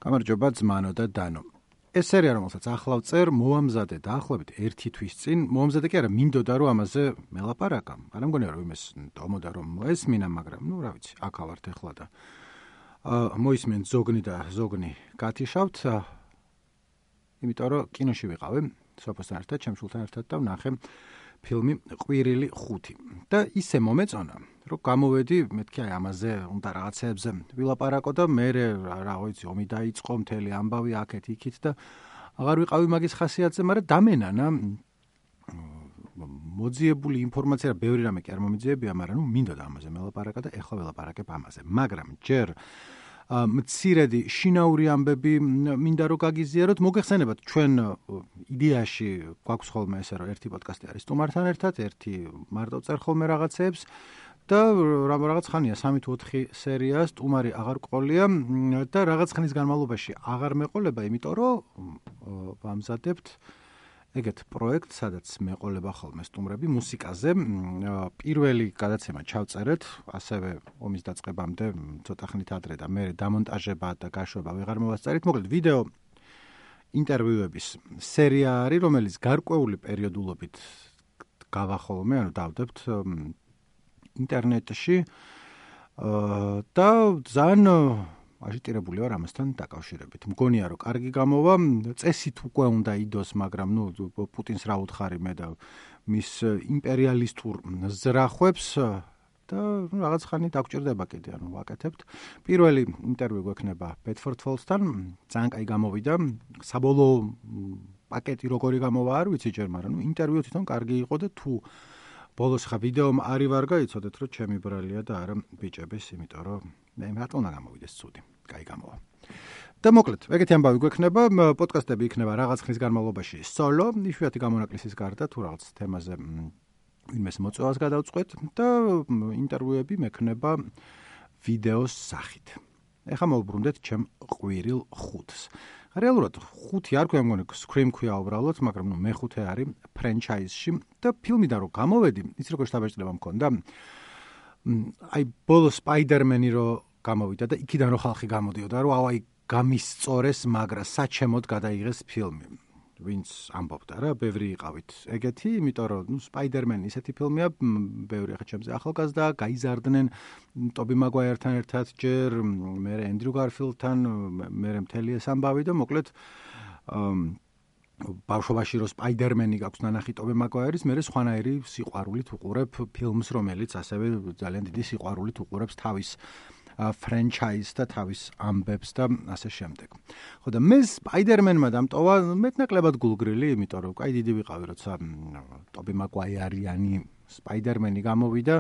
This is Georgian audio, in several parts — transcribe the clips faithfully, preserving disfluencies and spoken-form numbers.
გამარჯობა ძმანო და დანო. ეს სერია რომელსაც ახლა ვწერ, მოამზადე დაახლოებით ერთი თვის წინ. მოამზადე კი არა, მინდოდა რომ ამაზე მელაპარაკა. არა მგონია რომ იმეს ტომოდა რომ მოესმინა, მაგრამ ნუ რა ვიცი, აქ ავართ ახლა და აა მოისმენ ზოგნი და ზოგნი გათიშავთ. იმიტომ რომ კინოში ვიყავი, სოფოსთან ერთად, ჩემ შულთან ერთად და ვნახე ფილმი ყვირილი ხუთი. და ისე მომეწონა, რომ გამოვედი, მეთქი აი ამაზე უნდა რაღაცეებზე ვილაპარაკო და მე რა ვიცი, ომი დაიწყო, მთელი ამბავი აქეთ იქით და აღარ ვიყავი მაგის ხასიათზე, მაგრამ დამენანა მოძიებული ინფორმაცია, ბევრი რამე კი არ მომიძიებია, მაგრამ ნუ მინდოდა ამაზე მელაპარაკა და ეხლა ველაპარაკებ ამაზე. მაგრამ ჯერ მცირედი შინაური ამბები მინდა რომ გაგიზიაროთ, მოგეხსენებათ ჩვენ იდეაში გვაქვს ხოლმე ესე რომ ერთი პოდკასტი არის სტუმართან ერთად, ერთი მარტო წერ ხოლმე რაღაცეებს და რაღაც ხანია სამი თუ ოთხი სერია სტუმარი აღარ ყოლია და რაღაც ხნის განმავლობაში აღარ მეყოლება, იმიტომ რომ ვამზადებთ ეგეთ პროექტს, სადაც მეყოლება ხოლმე სტუმრები მუსიკაზე. პირველი გადაცემა ჩავწერეთ, ასევე ომის დაწყებამდე ცოტა ხნით ადრე და მე დამონტაჟება და გაშვება ვეღარ მოვასწარით. მოკლედ ვიდეო ინტერვიუების სერია არის, რომელიც გარკვეული პერიოდულობით გავა ხოლმე, ანუ დავდებთ ინტერნეტში და ძალიან აჟიტირებული ვარ ამასთან დაკავშირებით. მგონია რომ კარგი გამოვა, წესით უკვე უნდა იდოს, მაგრამ ნუ პუტინს რა უთხარი მე და მის იმპერიალისტურ ზრახვებს და რაღაც ხანი დაგჭირდება კიდე, ანუ ვაკეთებთ. პირველი ინტერვიუ გვექნება ბედფორდ ფოლსთან, ძალიან კაი გამოვიდა. საბოლოო პაკეტი როგორი გამოვა არ ვიცი ჯერ, მაგრამ ნუ ინტერვიუ თვითონ კარგი იყო და თუ ბოლოს ხა ვიდეომ არი ვარ გაიცოდეთ, რომ ჩემი ბრალია და არა ბიჭების, იმიტომ რომ მე რატომ უნდა გამოვიდეს ცუდი. კაი გამოვა. და მოკლედ, ეგეთი ამბავი გვექნება, პოდკასტები იქნება რაღაც ხნის განმავლობაში სოლო, იშვიათი გამონაკლისის გარდა თუ რაღაც თემაზე ვინმეს მოწვევას გადავწყვეტ და ინტერვიუები მექნება ვიდეოს სახით. ეხლა მოვუბრუნდეთ ჩემ ყვირილ ხუთს. რეალურად ხუთი არ ქვია, მგონი Scream ქვია უბრალოდ, მაგრამ ნუ მეხუთე არის ფრენჩაიზში და ფილმიდან რო გამოვედი, იცი როგორ შთაბეჭდილება მქონდა. აი ბოლო Spider-Man-ი რო გამოვიდა და იქიდან რო ხალხი გამოდიოდა, რომ აუ აი გამისწორეს, მაგრამ საჩემოდ გადაიღეს ფილმი. ვინც ამბობდა რა, ბევრი იყავით ეგეთი, იმიტომ რომ ნუ Spider-Man ისეთი ფილმია, ბევრი ახლა ჩემზე ახალგაზრდა, გაიზარდნენ ტობი მაგვაიერთან ერთად ჯერ, მე ენდრიუ გარფილდთან, მე მთელი ეს ამბავი და მოკლედ ბავშვობაში რო Spider-Man-ი გაქვს ნანახი ტობი მაგვაიერის, მე სხვანაირი სიყვარულით უყურებ ფილმს, რომელიც ასევე ძალიან დიდი სიყვარულით უყურებს თავის ფრენჩაიზს და თავის ამბებს და ასე შემდეგ. ხო და მე Spider-Man-მა დამტოვა მეტნაკლებად გულგრილი, იმიტომ რომ კაი დიდი ვიყავი, როცა ტობი მაგვაიერიანი Spider-Man-ი გამოვიდა.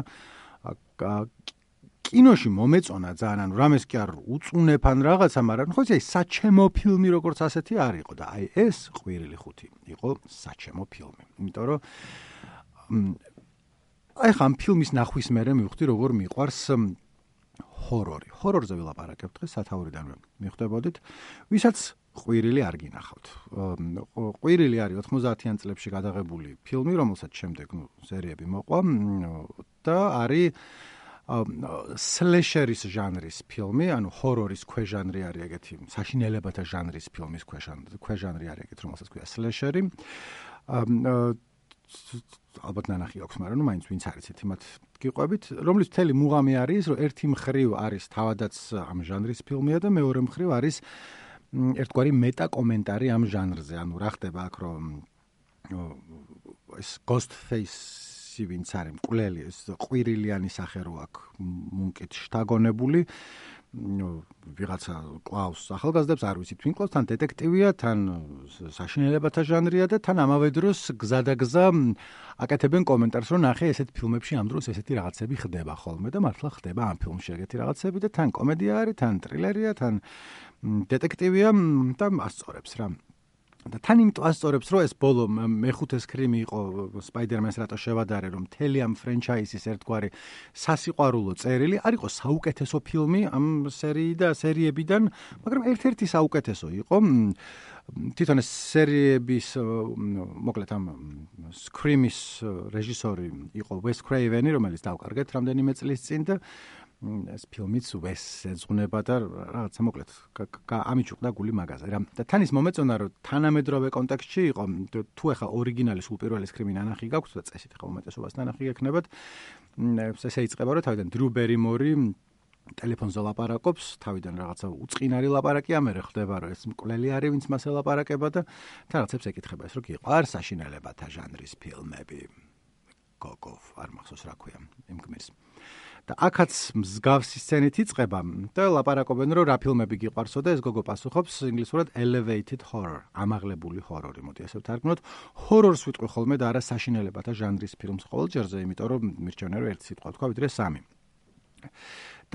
კინოში მომეწონა ძალიან, ანუ რამეს კი არ უწუნებ ან რაღაცა, მაგრამ ხო იცი, საჩემო ფილმი როგორც ასეთი არ იყო და აი ეს ყვირილი ხუთი იყო საჩემო ფილმი. იმიტომ რომ აი ხამ ფილმის ნახვის მერე მივხვდი როგორ მიყვარს ჰორორი. ჰორორზე ვილაპარაკებ დღეს სათაურიდანვე მიხვდებოდით, ვისაც ყვირილი არ გინახავთ. ყვირილი არის ოთხმოცდაათიან წლებში გადაღებული ფილმი, რომელსაც შემდეგ ნუ სერიები მოყვა და არის სლეშერის ჟანრის ფილმი, ანუ ჰორორის ქვეჟანრი არის ეგეთი, საშინელებათა ჟანრის ფილმის ქვეჟანრი არის ეგეთი, რომელსაც ქვია სლეშერი. ალბათ ნანახი აქვს, მაგრამ ნუ მაინც ვინც არიცით, იმათ გიყვებით, რომლის მთელი მუღამი არის, რომ ერთი მხრივ არის თავადაც ამ ჟანრის ფილმია და მეორე მხრივ არის ერთგვარი მეტა კომენტარი ამ ჟანრზე. ანუ რა ხდება აქ, რომ ეს Ghostface-ი ვინც არის, მკვლელი, ეს ყვირილიანი სახე რო აქვს მუნკით შთაგონებული, ვიღაცა კლავს ახალგაზრდებს, არ ვიცით ვინ კლავს, თან დეტექტივია, თან საშინელებათა ჟანრია და თან ამავე დროს გზადაგზა აკეთებენ კომენტარს, რომ ნახე ესეთ ფილმებში ამ დროს ესეთი რაღაცები ხდება ხოლმე და მართლა ხდება ამ ფილმში ეგეთი რაღაცები და თან კომედია არის, თან ტრილერია, თან დეტექტივია და ასწორებს რა. და თან იმიტომ ასწორებს, რომ ეს ბოლო მეხუთე სკრიმი იყო Spider-Man-ს რატო შევადარე, რომ მთელი ამ ფრენჩაიზის ერთგვარი სასიყვარულო წერილი არ იყო საუკეთესო ფილმი ამ სერიის და სერიებიდან, მაგრამ ერთ-ერთი საუკეთესო იყო. თვითონ ეს სერიების მოკლედ ამ Scream-ის რეჟისორი იყო Wes Craven-ი, რომელიც დავკარგეთ რამდენიმე წლის წინ და ეს ფილმიც ვესს ეძღვნება და რაღაცა მოკლედ ამიჩუყდა გული მაგაზე რა და თან ის მომეწონა რომ თანამედროვე კონტექსტში იყო თუ ეხა ორიგინალი სულ პირველი სკრიმი ნანახი გაქვს და წესით ეხა უმეტესობას ნანახი გექნებათ ესე იწყება რომ თავიდან დრუ ბერიმორი ტელეფონზე ლაპარაკობს თავიდან რაღაცა უწყინარი ლაპარაკი ამერე ხდება რომ ეს მკვლელი არის ვინც მასე ლაპარაკება და თან რაღაცებს ეკითხება ეს რომ გიყვარს საშინელებათა ჟანრის ფილმები გოგოვ არ მახსოვს რა ქვია იმ გმირს და აქაც მსგავსი სცენით იწყება და ლაპარაკობენ რომ რა ფილმები გიყვარსო და ეს გოგო პასუხობს ინგლისურად elevated horror ამაღლებული ჰორორი მოდი ასე ვთარგმნოთ ჰორორს ვიტყვი ხოლმე და არა საშინელებათა ჟანრის ფილმს ყოველჯერზე იმიტომ რომ მირჩენია რომ ერთი სიტყვა თქვა ვიდრე სამი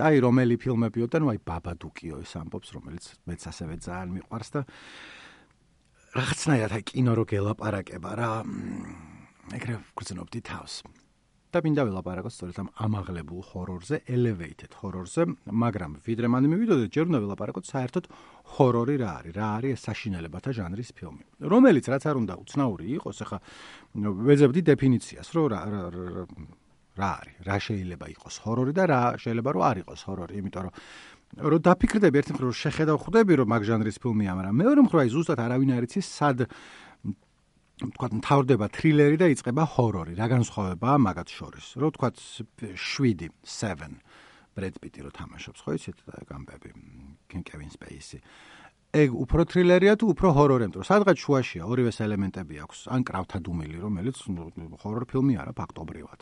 და აი რომელი ფილმებიო და ნუ აი ბაბადუკიო ის ამბობს რომელიც მეც ასევე ძალიან მიყვარს და რაღაცნაირად აი კინო რო გელაპარაკება რა ეგრე გრძნობდი თავს და მინდა ველაპარაკოთ სწორედ ამ ამაღლებულ ჰორორზე, elevated ჰორორზე, მაგრამ ვიდრე მანე მივიდოდეთ, ჯერ უნდა ველაპარაკოთ საერთოდ ჰორორი რა არის, რა არის საშინელებათა ჟანრის ფილმი. რომელიც რაც არ უნდა უცნაური იყოს, ახლა ვეძებდი დეფინიციას, რომ რა რა არის, რა შეიძლება იყოს ჰორორი და რა შეიძლება რომ არ იყოს ჰორორი, იმიტომ რომ რომ დაფიქრდები ერთი მხრივ შეხედავ ხვდები რომ მაგ ჟანრის ფილმია, მაგრამ მეორე მხრივ აი ზუსტად არავინ არ იცის სად თქვათ მთავრდება თრილერი და იწყება ჰორორი. რა განსხვავებაა მაგათ შორის? რომ თქვათ შვიდი, seven ბრედ პიტი რო თამაშობს, ხო იცით და გამბები, კევინ სპეისი. ეგ უფრო თრილერია თუ უფრო ჰორორი, იმიტომ რომ სადღაც შუაშია ორივეს ელემენტები აქვს, ან კრავთა დუმილი, რომელიც ჰორორ ფილმი არა ფაქტობრივად.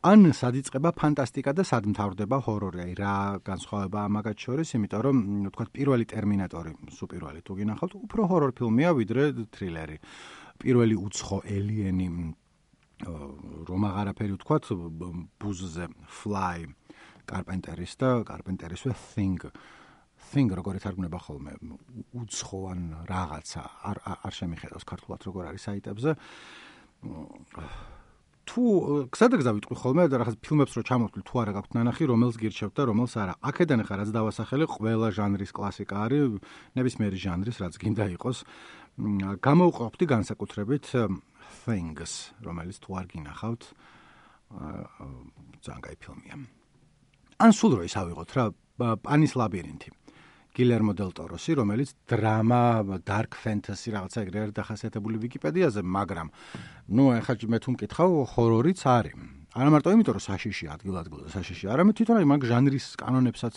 ან სად იწყება ფანტასტიკა და სად მთავრდება ჰორორი, აი რა განსხვავებაა მაგათ შორის, იმიტომ რომ თქვათ პირველი ტერმინატორი, სუპირვალი თუ გინახავთ, უფრო ჰორორ ფილმია ვიდრე თრილერი. პირველი უცხო ელიენი რომ აღარაფერი ვთქვათ ბუზზე fly კარპენტერის და კარპენტერისვე thing thing როგორ ეთარგმნება ხოლმე უცხოან რაღაცა არ არ შემიხედავს ქართულად როგორ არის საიტებზე თუ გზადაგზა ვიტყვი ხოლმე და რაღაც ფილმებს რო ჩამოვთვლი თუ არა გაქვთ ნანახი რომელს გირჩევთ და რომელს არა აქედან ახლა რაც დავასახელე ყველა ჟანრის კლასიკა არის ნებისმიერი ჟანრის რაც გინდა იყოს გამოვყოფდი განსაკუთრებით Things, რომელიც თუ არ გინახავთ, ძალიან კაი ფილმია. ან სულ რო ის ავიღოთ რა, პანის ლაბირინთი. გილერმო დელ ტოროსი, რომელიც დრამა, dark fantasy რაღაცა ეგრე არის დახასიათებული ვიკიპედიაზე, მაგრამ ნუ ახლა მე თუ მკითხავ, ჰორორიც არის. არა მარტო იმიტომ რომ საშიში ადგილ-ადგილზე საშიში, არამედ თვითონ აი მაგ ჟანრის კანონებსაც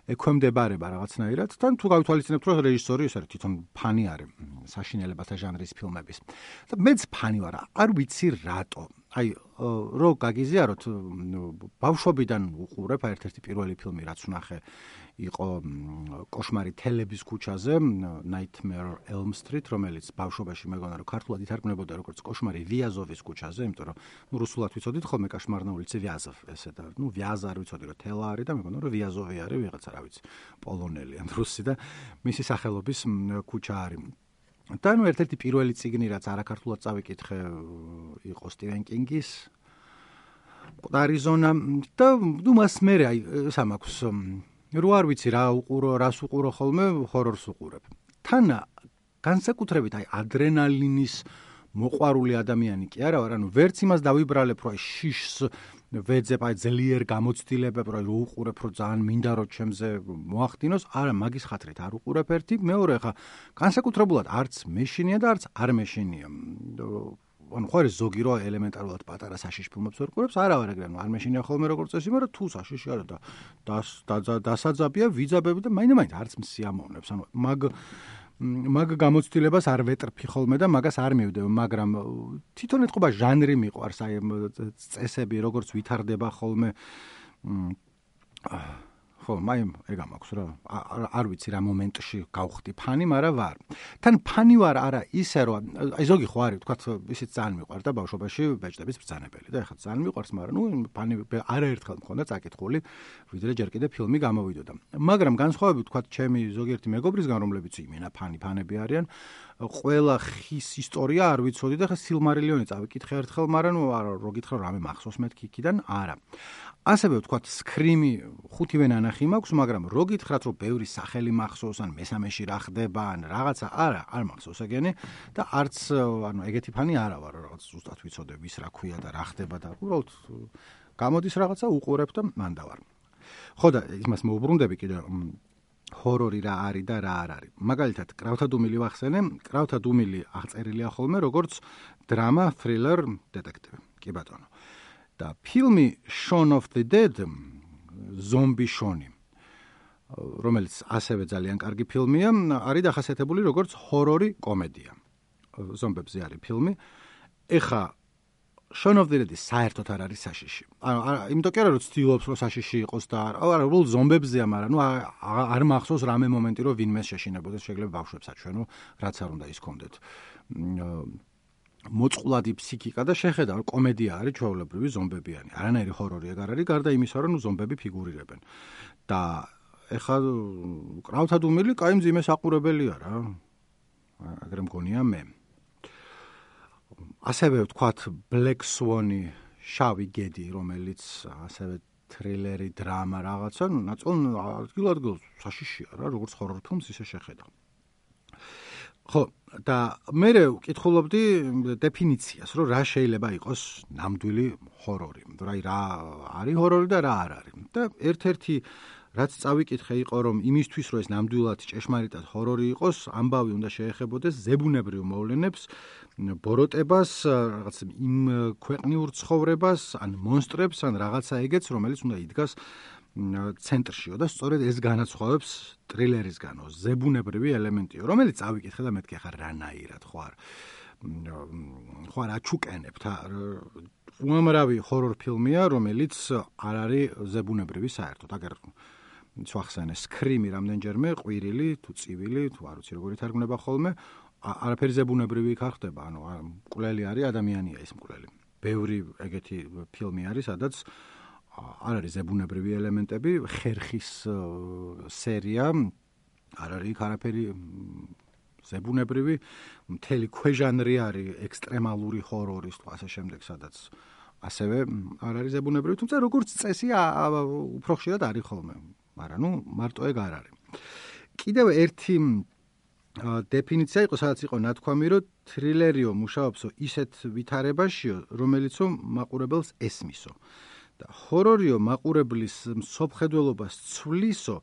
ექვემდებარება რაღაცნაირად, თან თუ გავითვალისწინებთ, რომ რეჟისორი ეს არის თვითონ ფანი არის საშინელებათა ჟანრის ფილმების. და მეც ფანი ვარ, არ ვიცი რატო. აი, რო გაგიზიაროთ, ბავშვობიდან უყურებ, ერთ-ერთი პირველი ფილმი რაც ვნახე იყო კოშმარი თელების ქუჩაზე, Nightmare Elm Street, რომელიც ბავშვობაში მეგონა რომ ქართულად ითარგმნებოდა როგორც კოშმარი ვიაზოვის ქუჩაზე, იმიტომ რომ ნუ რუსულად ვიცოდით ხოლმე კოშმარ на улице Вязов, ესე და ნუ ვიაზა არ ვიცოდი რომ თელა არის და მეგონა რომ ვიაზოვი არის ვიღაცა რა ვიცი, პოლონელი ან რუსი და მისი სახელობის ქუჩა არის. და ნუ ერთ-ერთი პირველი წიგნი რაც არაქართულად წავიკითხე იყო სტივენ კინგის მკვდარი ზონა და ნუ მას მე აი სამაქვს რო არ ვიცი რა უყურო, რას უყურო ხოლმე ჰორორს უყურებ. თან განსაკუთრებით აი ადრენალინის მოყვარული ადამიანი კი არა ვარ, ანუ ვერც იმას დავიბრალებ, რომ აი შიშს ვეძებ, აი ძლიერ გამოცდილებებ, რომ რო უყურებ, რომ ძალიან მინდა რომ ჩემზე მოახდინოს, არა მაგის ხათრით არ უყურებ ერთი, მეორე ხა განსაკუთრებულად არც მეშინია და არც არ მეშინია. ანუ ხო არის ზოგი რო ელემენტარულად პატარა საშიშ ფილმებს ვერ ყურებს, არა ვარ ეგრე, ანუ არ მეშინია ხოლმე როგორც წესი, მაგრამ თუ საშიში არა და დასაძაბია, ვიძაბები და მაინდა-მაინც არც მსიამოვნებს, ანუ მაგ მაგ გამოცდილებას არ ვეტრფი ხოლმე და მაგას არ მივდებ, მაგრამ თვითონ ეთყობა ჟანრი მიყვარს, აი წესები როგორც ვითარდება ხოლმე ხო, მაი ეგ მაქვს რა. არ ვიცი რა მომენტში გავხდი ფანი, მაგრამ ვარ. თან ფანი ვარ არა ისე რომ აი ზოგი ხო არის, თქვათ ისიც ძალიან მიყვარდა ბავშვობაში ბეჭდების ბრძანებელი და ეხლა ძალიან მიყვარს, მაგრამ ნუ ფანი არაერთხელ მქონდა წაკითხული, ვიდრე ჯერ კიდე ფილმი გამოვიდოდა. მაგრამ განსხვავებით თქვათ ჩემი ზოგიერთი მეგობრისგან, რომლებიც იმენა ფანი ფანები არიან, ყველა ხის ისტორია არ ვიცოდი და ხა სილმარილიონი წავიკითხე ერთხელ, მაგრამ ნუ რო გითხრა რამე მახსოვს მეთქი იქიდან არა. ასევე ვთქვათ სკრიმი ხუთივე ნანახი მაქვს, მაგრამ რო გითხრათ რომ ბევრი სახელი მახსოვს ან მესამეში რა ხდება ან რაღაცა არა, არ მახსოვს ეგენი და არც ანუ ეგეთი ფანი არა ვარ, რაღაც ზუსტად ვიცოდე ვის რა ქვია და რა ხდება და უბრალოდ გამოდის რაღაცა უყურებ და მანდ ვარ. ხო და იმას მოუბრუნდები კიდე ჰორორი რა არის და რა არ არის. მაგალითად, კრავთა დუმილი ვახსენე, კრავთა დუმილი აღწერილია ხოლმე როგორც დრამა, თრილერ, დეტექტივი. კი ბატონო. და ფილმი Shaun of the Dead, ზომბი შონი, რომელიც ასევე ძალიან კარგი ფილმია, არის დახასიათებული როგორც ჰორორი კომედია. ზომბებზე არის ფილმი. ეხა Shaun of the Dead საერთოდ არ არის საშიში. ანუ იმიტომ კი არა რომ ცდილობს რომ საშიში იყოს და არა, უბრალოდ ზომბებზეა, მაგრამ ნუ არ მახსოვს რამე მომენტი რომ ვინმეს შეშინებოდეს, შეიძლება ბავშვებს აჩვენო, რაც არ უნდა ის კონდეთ. მოწყვლადი ფსიქიკა და შეხედა რომ კომედია არის ჩვეულებრივი ზომბებიანი. არანაირი ჰორორი ეგ არ არის, გარდა იმისა რომ ნუ ზომბები ფიგურირებენ. და ეხა კრავთა დუმილი კაი მძიმე საყურებელია რა. აგრე მგონია მე. ასევე ვთქვათ Black Swan-ი, შავი გედი, რომელიც ასევე თრილერი, დრამა რაღაცა, ნუ ნაწილ ადგილ-ადგილ საშიშია რა, როგორც ჰორორ ფილმს ისე შეხედა. ხო, და მე ვკითხულობდი დეფინიციას, რომ რა შეიძლება იყოს ნამდვილი ჰორორი. აი რა არის ჰორორი და რა არ არის. და ერთ-ერთი რაც წავიკითხე იყო რომ იმისთვის რომ ეს ნამდვილად ჭეშმარიტად ჰორორი იყოს, ამბავი უნდა შეეხებოდეს ზებუნებრივ მოვლენებს, ბოროტებას, რაღაც იმ ქვეყნიურ ცხოვრებას, ან მონსტრებს, ან რაღაცა ეგეც, რომელიც უნდა იდგას ცენტრშიო და სწორედ ეს განაცხოვებს ტრილერისგანო, ზებუნებრივი ელემენტიო, რომელიც წავიკითხე და მეთქი ახლა რანაირად ხო არ ხო არ აჩუკენებთ, უამრავი ჰორორ ფილმია, რომელიც არ არის ზებუნებრივი საერთოდ, აგერ ვახსენე სკრიმი რამდენჯერმე, ყვირილი თუ წივილი, თუ არ ვიცი როგორი თარგმნება ხოლმე, არაფერი ზებუნებრივი იქ არ ხდება, ანუ მკვლელი არის, ადამიანია ეს მკვლელი. ბევრი ეგეთი ფილმი არის, სადაც არ არის ზებუნებრივი ელემენტები, ხერხის სერია, არ არის იქ არაფერი ზებუნებრივი, მთელი ქვეჟანრი არის ექსტრემალური ჰორორის თუ ასე შემდეგ, სადაც ასევე არ არის ზებუნებრივი, თუმცა როგორც წესი უფრო ხშირად არის ხოლმე, მაგრამ ნუ მარტო ეგ არ არის. კიდევ ერთი დეფინიცია იყო, სადაც იყო ნათქვამი, რომ თრილერიო მუშაობსო ისეთ ვითარებაშიო, რომელიცო მაყურებელს ესმისო. და ჰორორიო მაყურებლის მსოფლმხედველობას ცვლისო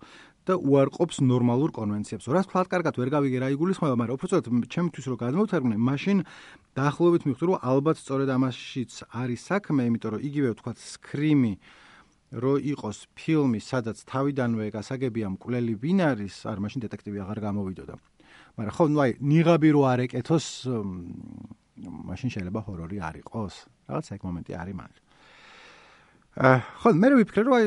და უარყოფს ნორმალურ კონვენციებს. რაც ფლად კარგად ვერ გავიგე რა იგულისხმება, მაგრამ უბრალოდ ჩემთვის რო გადმოვთარგმნე, მაშინ დაახლოებით მივხვდი, რომ ალბათ სწორედ ამაშიც არის საქმე, იმიტომ რომ იგივე ვთქვათ სკრიმი რო იყოს ფილმი, სადაც თავიდანვე გასაგებია მკვლელი ვინ არის, არ მაშინ დეტექტივი აღარ გამოვიდოდა. მაგრამ ხო, ნუ აი, ნიღაბი რო არ ეკეთოს, მაშინ შეიძლება ჰორორი არ იყოს. რაღაც ეგ მომენტი არის მან. ხო, მე ვიფიქრე, რომ აი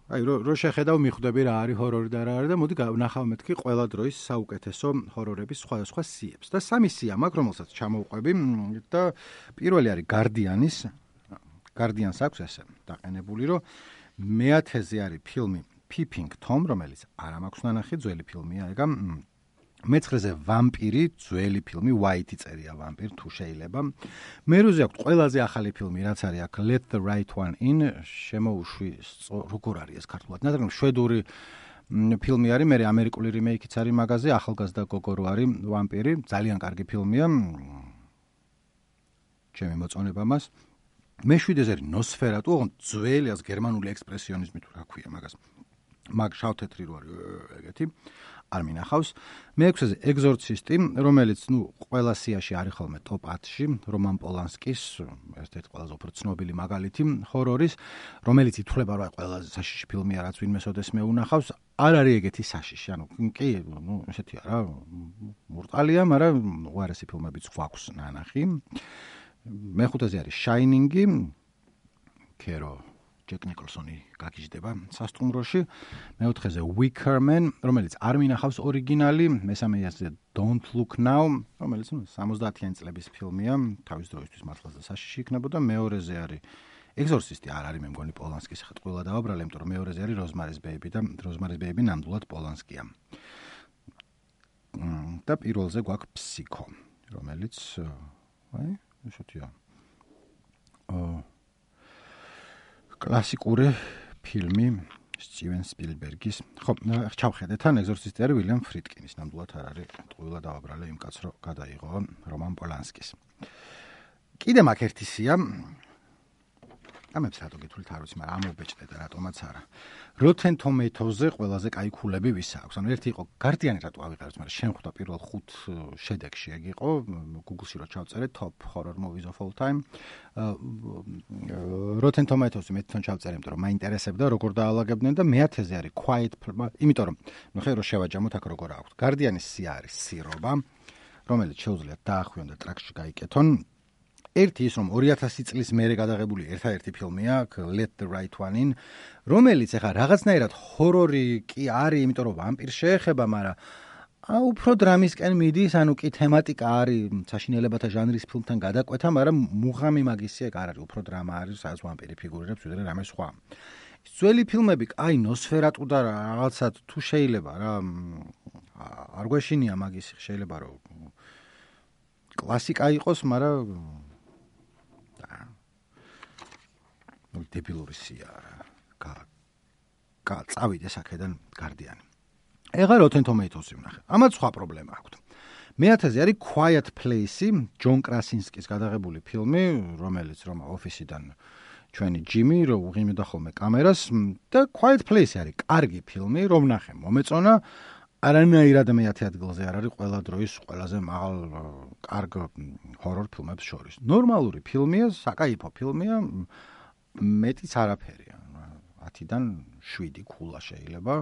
აი რო შეხედავ მიხვდები რა არის ჰორორი და რა არის და მოდი ვნახავ მეთქი ყველა დროის საუკეთესო ჰორორების სხვადასხვა სიებს. და სამი სია მაქვს, რომელსაც ჩამოვყვები და პირველი არის Guardian-ის. Guardian-ს აქვს ესე დაყენებული, რომ მეათეზე არის ფილმი Peeping Tom, რომელიც არა მაქვს ნანახი, ძველი ფილმია, ეგა მეცხრეზე ვამპირი, ძველი ფილმი, White წერია ვამპირ, თუ შეიძლება. მერვეზე აქვს ყველაზე ახალი ფილმი, რაც არის აქ Let the Right One In, შემოუშვი, როგორ არის ეს ქართულად? ნადგენ შვედური ფილმი არის, მე ამერიკული რიმეიქიც არის მაგაზე, ახალგაზრდა გოგო რო არის ვამპირი, ძალიან კარგი ფილმია. ჩემი მოწონება მას. მეშვიდეზე არის Nosferatu, ოღონდ ძველი ას გერმანული ექსპრესიონიზმი თუ რა ქვია მაგას. მაგ შავ-თეთრი რო არის ეგეთი. არ მინახავს. მეექვსეზე ეგზორცისტი, რომელიც ნუ ყველა სიაში არის ხოლმე ტოპ ათში, რომან პოლანსკის, ერთ-ერთი ყველაზე უფრო ცნობილი მაგალითი ჰორორის, რომელიც ითვლება რომ ყველაზე საშიში ფილმია, რაც ვინმე სოდესმე უნახავს. არ არის ეგეთი საშიში, ანუ კი, ნუ ესეთია რა, მურტალია, მაგრამ უარესი ფილმებიც გვაქვს ნანახი. მეხუთეზე არის Shining-ი, კერო ჯეკ ნიკოლსონი გაგიჟდება სასტუმროში. მეოთხეზე Wicker Man, რომელიც არ მინახავს ორიგინალი. მესამეზე Don't Look Now, რომელიც სამოცდაათიანი წლების ფილმია, თავის დროისთვის მართლაც საშიში იქნებოდა. მეორეზე არის ეგზორცისტი, არ არის მე მგონი პოლანსკის, ხა ყველა დავაბრალე, იმიტომ რომ მეორეზე არის Rosemary's Baby და Rosemary's Baby ნამდვილად პოლანსკია. და პირველზე გვაქვს Psycho, რომელიც აი, ესეთია. აა კლასიკური ფილმი სტივენ სპილბერგის. ხო, ჩავხედეთ თან ეგზორცისტი არის ვილიამ ფრიდკინის, ნამდვილად არ არის, ტყუილა დავაბრალე იმ კაცს, რომ გადაიღო რომან პოლანსკის. კიდე მაგ ერთი სია ამებს რატო გითვლით არ ვიცი, მაგრამ ამობეჭდე და რატომაც არა. Rotten Tomatoes-ზე ყველაზე კაი ქულები ვის აქვს? ანუ ერთი იყო Guardian-ი რატო ავიღარეთ, მაგრამ შენ ხვდა პირველ ხუთ შედეგში ეგ იყო, Google-ში რო ჩავწერე top horror movies of all time. Rotten Tomatoes-ი მე თვითონ ჩავწერე, იმიტომ რომ მაინტერესებდა როგორ დაალაგებდნენ და მეათეზე არის Quiet, იმიტომ რომ ნუ ხე რო შევაჯამოთ აქ როგორ აქვს. Guardian-ის სია არის სირობა, რომელიც შეუძლიათ დაახვიონ და ტრაქში გაიკეთონ. ერთი ის რომ ორი ათასი წლის მერე გადაღებული ერთადერთი ფილმია Let the Right One In, რომელიც ახლა რაღაცნაირად ჰორორი კი არის, იმიტომ რომ ვამპირს შეეხება, მაგრამ აა უფრო დრამისკენ მიდის, ანუ კი თემატიკა არის საშინელებათა ჟანრის ფილმთან გადაკვეთა, მაგრამ მუღამი მაგისი ეგ არ არის, უფრო დრამა არის, სადაც ვამპირი ფიგურირებს, ვიდრე რამე სხვა. ძველი ფილმები, აი ნოსფერატუ და რაღაცა თუ შეიძლება რა არ გვეშინია მაგისი, შეიძლება რომ კლასიკა იყოს, მაგრამ დებილური სია რა. გა წავიდეს აქედან Guardian-ი. ეხლა Rotten Tomatoes-ი ვნახე. ამათ სხვა პრობლემა აქვს. მეათეზე არის Quiet Place-ი, ჯონ კრასინსკის გადაღებული ფილმი, რომელიც რომ ოფისიდან ჩვენი ჯიმი რო უღიმდა ხოლმე კამერას და Quiet Place-ი არის კარგი ფილმი, რომ ვნახე, მომეწონა. არანაირად მეათე ადგილზე არ არის ყველა დროის ყველაზე მაღალ კარგ ჰორორ ფილმებს შორის. ნორმალური ფილმია, საკაიფო ფილმია, მეტიც არაფერია. ათიდან შვიდი ქულა შეიძლება.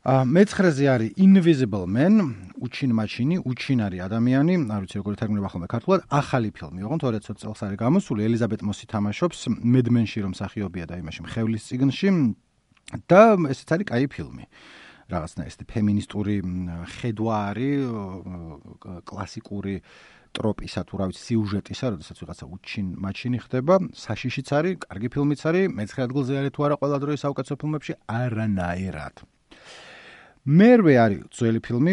მეცხრეზე არის Invisible Man, უჩინ მაჩინი, უჩინ არის ადამიანი, არ ვიცი როგორ თარგმნება ხოლმე ქართულად, ახალი ფილმი, ოღონდ ორი ათი წელს არის გამოსული, ელიზაბეთ მოსი თამაშობს, Mad Men-ში რომ მსახიობია და იმაში მხევლის წიგნში და ესეც არის კაი ფილმი. რაღაცნაირად ეს ფემინისტური ხედვა არის, კლასიკური ტროპისა თუ რა ვიცი სიუჟეტისა, როდესაც ვიღაცა უჩინ მაჩინი ხდება, საშიშიც არის, კარგი ფილმიც არის, მეცხრე ადგილზე არის თუ არა ყველა დროის საუკეთესო ფილმებში, არანაირად. მერვე არის ძველი ფილმი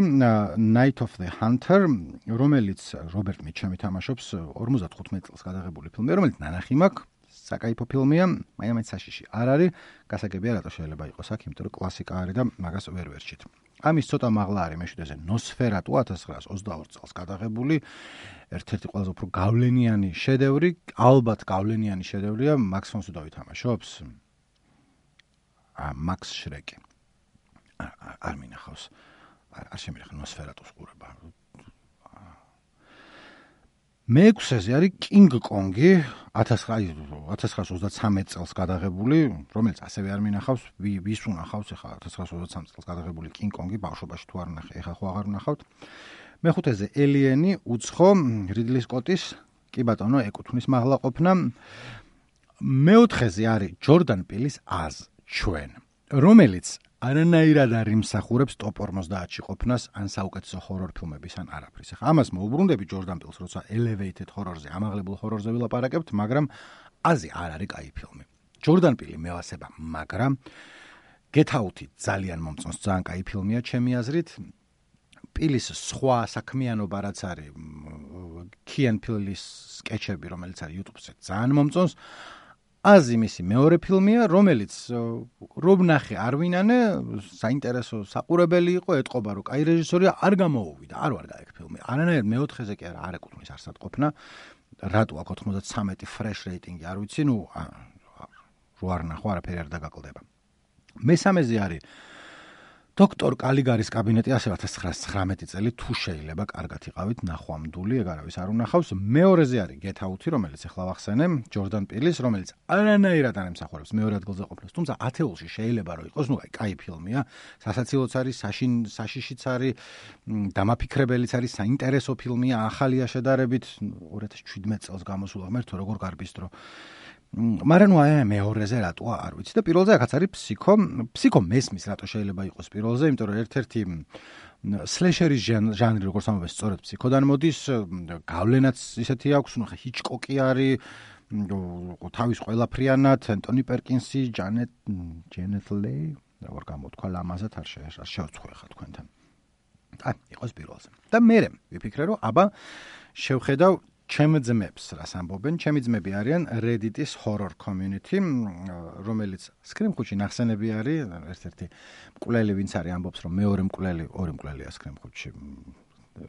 Night of the Hunter, რომელიც რობერტ მიჩემი თამაშობს, ორმოცდახუთმეტი წელს გადაღებული ფილმი, რომელიც ნანახი მაქვს, საკაიფო ფილმია, მაინც საშიში არ არის, გასაგებია რატო შეიძლება იყოს აქ, იმიტომ რომ კლასიკა არის და მაგას ვერ ვერჩით. ამის ცოტა მაღლა არის მეშვიდეზე Nosferatu ათას ცხრაას ოცდაორი წელს გადაღებული, ერთ-ერთი ყველაზე უფრო გავლენიანი შედევრი, ალბათ გავლენიანი შედევრია, Max von Sydow თამაშობს. ა Max Schreck. არ მინახავს. არ შემიძლია Nosferatu-ს ყურება. მეექვსეზე არის King Kong-ი ათას ცხრაას ოცდათრამეტი წელს გადაღებული, რომელიც ასევე არ მინახავს, ვის უნახავს ახლა ათას ცხრაას ოცდათრამეტი წელს გადაღებული King Kong-ი, ბავშვობაში თუ არ ნახე, ახლა ხო აღარ ვნახავთ. მეხუთეზე Alien-ი, უცხო, Ridley Scott-ის, კი ბატონო, ეკუთვნის მაღლაყოფნა. მეოთხეზე არის Jordan Peele-ის Az, ჩვენ, რომელიც არანაირად არ იმსახურებს ტოპ ორმოცდაათში ყოფნას ან საუკეთესო ჰორორ ფილმების ან არაფრის. ახლა ამას მოუბრუნდები Jordan Peele-ს, როცა elevated horror-ზე, ამაღლებულ ჰორორზე ვილაპარაკებთ, მაგრამ აზი არ არის კაი ფილმი. Jordan Peele მევასება, მაგრამ Get Out-ი ძალიან მომწონს, ძალიან კაი ფილმია ჩემი აზრით. Peele-ის სხვა საქმიანობა რაც არის, Key and Peele-ის სკეჩები, რომელიც არის YouTube-ზე, ძალიან მომწონს. აზი მისი მეორე ფილმია, რომელიც რომ ნახე არ ვინანე, საინტერესო საყურებელი იყო, ეტყობა რომ კაი რეჟისორია, არ გამოუვიდა, არ ვარ გაიგ ფილმი. არანაირად მეოთხეზე კი არა, არ ეკუთვნის არსად ყოფნა. რატო აქვს ოცდათრამეტი fresh rating-ი, არ ვიცი, ნუ რო არ ნახო, არაფერი არ დაგაკლდება. მესამეზე არის დოქტორ კალიგარის კაბინეტი, ასევე ათას ცხრაას ცხრამეტი წელი, თუ შეიძლება კარგად იყავით ნახვამდული, ეგ არავის არ უნახავს. მეორეზე არის Get Out-ი, რომელიც ახლა ვახსენე, Jordan Peele-ის, რომელიც არანაირად არ ემსახურებს მეორე ადგილზე ყოფნას, თუმცა ათეულში შეიძლება რომ იყოს, ნუ აი, კაი ფილმია, სასაცილოც არის, საშიშიც არის, დამაფიქრებელიც არის, საინტერესო ფილმია, ახალია შედარებით, ორი ათას შვიდმეტი წელს გამოსულა, ღმერთო, როგორ გარბის დრო. მაგრამ ნუ აი მეორეზე რატო არ ვიცი და პირველზე ახაც არის Psycho. Psycho მესმის რატო შეიძლება იყოს პირველზე, იმიტომ რომ ერთ-ერთი სლეშერის ჟანრი, როგორც ამბობენ, სწორედ Psycho-დან მოდის, გავლენაც ისეთი აქვს, ნუ ხა Hitchcock-ი არის, თავის ყველაფრიანად, Anthony Perkins-ი, Janet Janet Leigh, როგორ გამოთქვა ლამაზად არ შევწხვე ხა თქვენთან. აი, იყოს პირველზე. და მე ვიფიქრე, რომ აბა შევხედავ ჩემ ძმებს, რას ამბობენ, ჩემი ძმები არიან Reddit-ის horror community, რომელიც სკრიმხუთში ნახსენები არის, ერთ-ერთი მკვლელი ვინც არის, ამბობს, რომ მეორე მკვლელი, ორი მკვლელია სკრიმხუთში.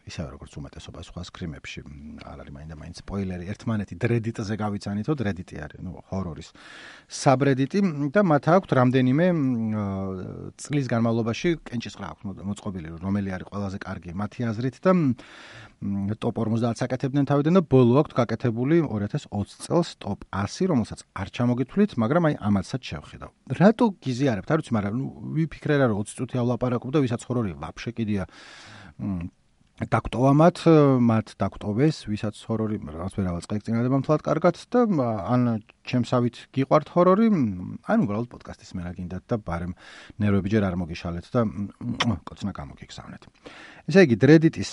ისევე როგორც უმეტესობა სხვა სკრიმებში არ არის მაინდა მაინც სპოილერი ერთმანეთი დრედიტზე გავიცანითო დრედიტი არის ნუ ჰორორის საბრედიტი და მათ აქვთ რამდენიმე წლის განმავლობაში კენჭისყრა აქვს მოწყობილი რომელი არის ყველაზე კარგი მათი აზრით და ტოპ ორმოცდაათს აკეთებდნენ თავიდან და ბოლო აქვთ გაკეთებული ორი ათას ოცი წელს ტოპ ასი რომელსაც არ ჩამოგითვლით მაგრამ აი ამათსაც შევხედავ რატო გიზიარებთ არ ვიცი მაგრამ ნუ ვიფიქრე რა რომ ოცი წუთი ავლაპარაკობ და ვისაც ხორორი ვაფშე კიდია დაგტოვა მათ, მათ დაგტოვეს, ვისაც ჰორორი რაღაც ვერავაც წაიქცინადება მთლად კარგად და ან ჩემსავით გიყვართ ჰორორი, ან უბრალოდ პოდკასტის მე რა გინდათ და ბარემ ნერვები ჯერ არ მოგიშალეთ და კოცნა გამოგიგზავნეთ. ესე იგი, დრედიტის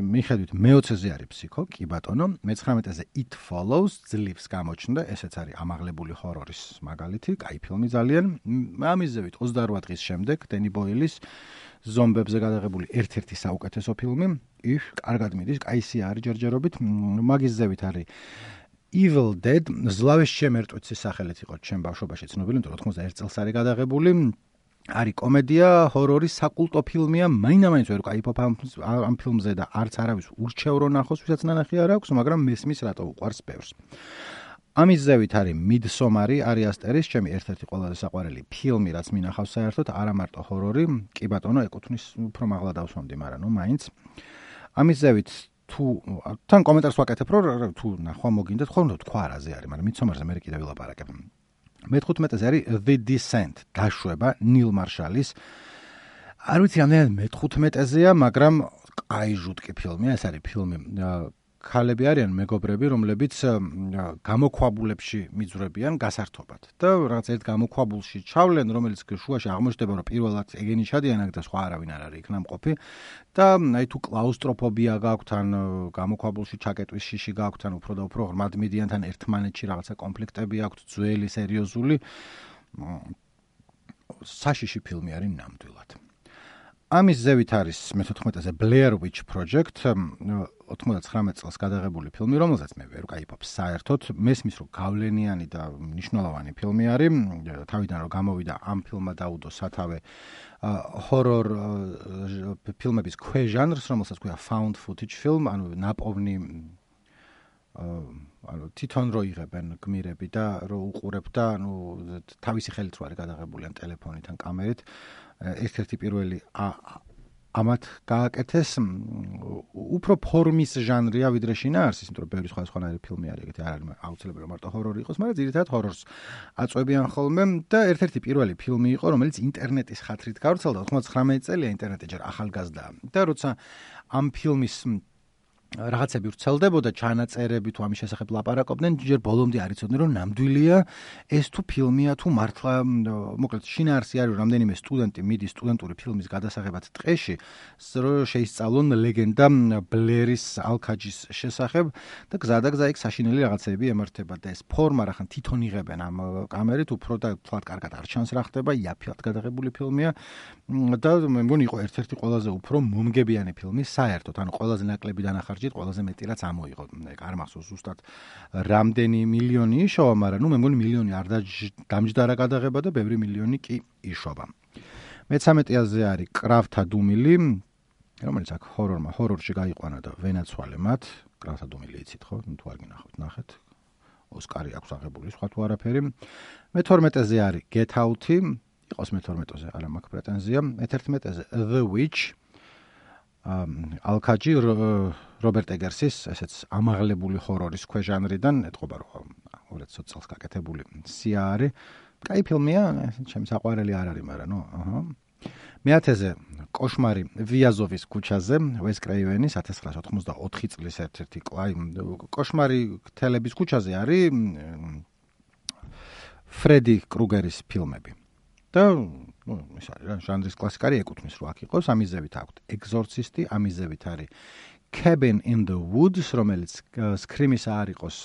მიხედვით მეოცეზე არის ფსიქო, კი ბატონო, მეცხრამეტეზე It Follows, ძლივს გამოჩნდა, ესეც არის ამაღლებული ჰორორის მაგალითი, კაი ფილმი ძალიან. ამის ზევით ოცდაორ დღის შემდეგ დენი ბოილის ზომბებზე გადაღებული ერთ-ერთი საუკეთესო ფილმი, ის კარგად მიდის, კაისი არის ჯერჯერობით, მაგის ზევით არის Evil Dead, ზლავეს შემერტვიცის სახელით იყო ჩემ ბავშვობაში ცნობილი, იმიტომ რომ ოთხმოცდაერთ წელს არის გადაღებული, არის კომედია, ჰორორი, საკულტო ფილმია, მაინდა-მაინც ვერ ვკაიფობ ამ ფილმზე და არც არავის ურჩევ რომ ნახოს, ვისაც ნანახი არ აქვს, მაგრამ მესმის რატო უყვარს ბევრს. ამის ზევით არის Midsommar, Ari Asteris, ჩემი ერთ-ერთი ყველაზე საყვარელი ფილმი, რაც მინახავს საერთოდ, არა მარტო ჰორორი, კი ბატონო, ეკუთვნის უფრო მაღლა დავსვამდი, მაგრამ ნუ მაინც. ამის ზევით თუ თან კომენტარს ვაკეთებ, რომ თუ ნახვა მოგინდათ, ხომ თქვა რაზე არის, მაგრამ Midsommar-ზე მე კიდევ ვილაპარაკებ. მეთერთმეტეზე არის The Descent, დაშვება ნილ მარშალის. არ ვიცი რამდენად მეთერთმეტეზეა, მაგრამ კაი ჟუტკი ფილმია, ეს არის ფილმი ქალები არიან მეგობრები, რომლებიც გამოქვაბულებში მიძვრებიან გასართობად. და რაღაც ერთ გამოქვაბულში ჩავლენ, რომელიც შუაში აღმოჩნდება, რომ პირველად ეგენი ჩადიან და სხვა არავინ არ არის იქ ნამყოფი. და აი თუ კლაუსტროფობია გაქვთ, ან გამოქვაბულში ჩაკეტვის შიში გაქვთ, ან უფრო და უფრო ღრმად მიდიან თან ერთმანეთში რაღაცა კონფლიქტები აქვთ, ძველი, სერიოზული. საშიში ფილმი არის ნამდვილად. ამის ზევით არის მეთერთმეტეზე Blair Witch Project, ოთხმოცდაცხრამეტ წელს გადაღებული ფილმი, რომელსაც მე ვერ ვკაიფობ საერთოდ. მესმის რომ გავლენიანი და მნიშვნელოვანი ფილმი არის. თავიდან რომ გამოვიდა ამ ფილმმა დაუდო სათავე ჰორორ ფილმების ქვეჟანრს, რომელსაც ქვია found footage film, ანუ ნაპოვნი ანუ თვითონ რო იღებენ გმირები და რო უყურებ და ანუ თავისი ხელით რო არის გადაღებული ან ტელეფონით ან კამერით. ერთ-ერთი პირველი ამათ გააკეთეს უფრო ფორმის ჟანრია ვიდრე შინაარსის, იმიტომ რომ ბევრი სხვადასხვანაირი ფილმი არის, ეგეთი არ არის აუცილებელი მარტო ჰორორი იყოს, მაგრამ ძირითადად ჰორორს აწვევიან ხოლმე და ერთ-ერთი პირველი ფილმი იყო, რომელიც ინტერნეტის ხათრით გავრცელდა, ოთხმოცდაცხრამეტი წელია, ინტერნეტი ჯერ ახალგაზრდაა. და როცა ამ ფილმის რაღაცები ვრცელდებოდა, ჩანაწერები თუ ამის შესახებ ლაპარაკობდნენ, ჯერ ბოლომდე არ იცოდნენ, რომ ნამდვილია ეს თუ ფილმია, თუ მართლა, მოკლედ შინაარსი არის, რამდენიმე სტუდენტი მიდის სტუდენტური ფილმის გადასაღებად ტყეში, რომ შეისწავლონ ლეგენდა ბლერის ალქაჯის შესახებ და გზადაგზა იქ საშინელი რაღაცები ემართება და ეს ფორმა რახან თვითონ იღებენ ამ კამერით, უფრო და თლად კარგად არ ჩანს რა ხდება, იაფად გადაღებული ფილმია და მე მგონი იყო ერთ-ერთი ყველაზე უფრო მომგებიანი ფილმი საერთოდ, ანუ ყველაზე ნაკლები დანახარჯი ყველაზე მეტი რაც ამოიღო. არ მახსოვს ზუსტად რამდენი მილიონი იშოვა, მაგრამ ნუ მე მგონი მილიონი არ დამჯდარა გადაღება და ბევრი მილიონი კი იშოვა. მეცამეტეაზე არის კრავთა დუმილი, რომელიც აქ ჰორორმა ჰორორში გაიყვანა და ვენაცვალე მათ. კრავთა დუმილი იცით ხო? თუ არ გინახავთ, ნახეთ. ოსკარი აქვს აღებული, სხვა თუ არაფერი. მეთორმეტეზე არის Get Out-ი, იყოს მეთორმეტეზე, არა მაქვს პრეტენზია. მეთერთმეტეზე The Witch, ალქაჯი რობერტ ეგერსის, ესეც ამაღლებული ჰორორის ქვეჟანრიდან, ეთყობა რომ ორი ათას ოცი წელს გაკეთებული სია არის. კაი ფილმია, ჩემი საყვარელი არ არის, მაგრამ ნუ, აჰა. მეათეზე კოშმარი ვიაზოვის ქუჩაზე, ვეს კრეივენის ათას ცხრაასა ოთხმოცდაოთხი წლის ერთ-ერთი კლაი. კოშმარი თელების ქუჩაზე არის ფრედი კრუგერის ფილმები. და ნუ ეს არის რა ჟანრის კლასიკარი ეკუთვნის რო აქ იყოს, ამის ზევით აქვს ეგზორცისტი, ამის ზევით არის Cabin in the Woods, რომელიც სკრიმის არ იყოს,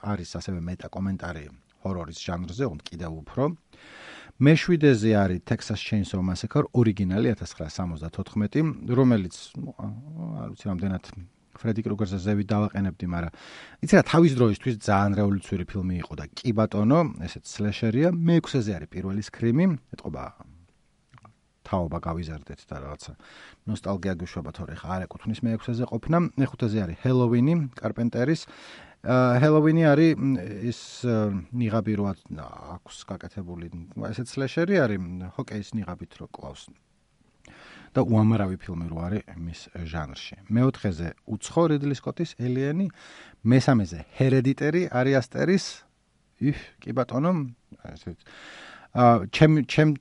არის ასევე მეტა კომენტარი ჰორორის ჟანრზე, უფრო კიდევ უფრო. მეშვიდეზე არის Texas Chainsaw Massacre, ორიგინალი ათას ცხრაასა სამოცდათოთხმეტი, რომელიც არ ვიცი რამდენად ფრედი კრუგერზე ზევით დავაყენებდი, მაგრამ იცი რა თავის დროისთვის ძალიან რევოლუციური ფილმი იყო და კი ბატონო, ესეც სლეშერია. მეექვსეზე არის პირველი სკრიმი, ეთყობა თაობა გავიზარდეთ და რაღაცა ნოსტალგია გვიშვება, თორე ხა არ ეკუთვნის მეექვსეზე ყოფნა. მეხუთეზე არის ჰელოვინი, კარპენტერის. ჰელოვინი არის ის ნიღაბი რო აქვს გაკეთებული, ესეც სლეშერი არის, ჰოკეის ნიღაბით რო კლავს. და უამრავი ფილმი რო არის მის ჟანრში. მეოთხეზე უცხო რიდლი სკოტის ელიენი, მესამეზე ჰერედიტერი არის ასტერის. იფ, კი ბატონო, ესეც. აა ჩემ ჩემ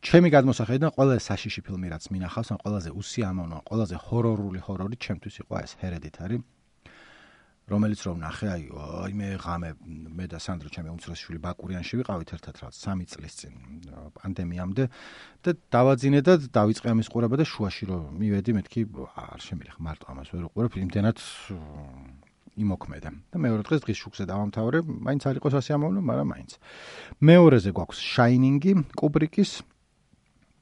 ჩემი გადმოსახედიდან ყველაზე საშიში ფილმი რაც მინახავს, ან ყველაზე უსიამოვნო, ყველაზე ჰორორული ჰორორი ჩემთვის იყო ეს ჰერედიტარი. რომელიც რომ ნახე, აი, აი მე ღამე მე და სანდრო ჩემი უმცროსი შვილი ბაკურიანში ვიყავით ერთად რაც სამი წლის წინ პანდემიამდე და დავაძინე და დავიწყე ამის ყურება და შუაში რომ მივედი მეთქი არ შემილიხ მარტო ამას ვერ უყურებ, იმდენად იმოქმედა. და მეორე დღეს დღის შუქზე დავამთავრე, მაინც არ იყო სასიამოვნო, მაგრამ მაინც. მეორეზე გვაქვს Shining-ი, კუბრიკის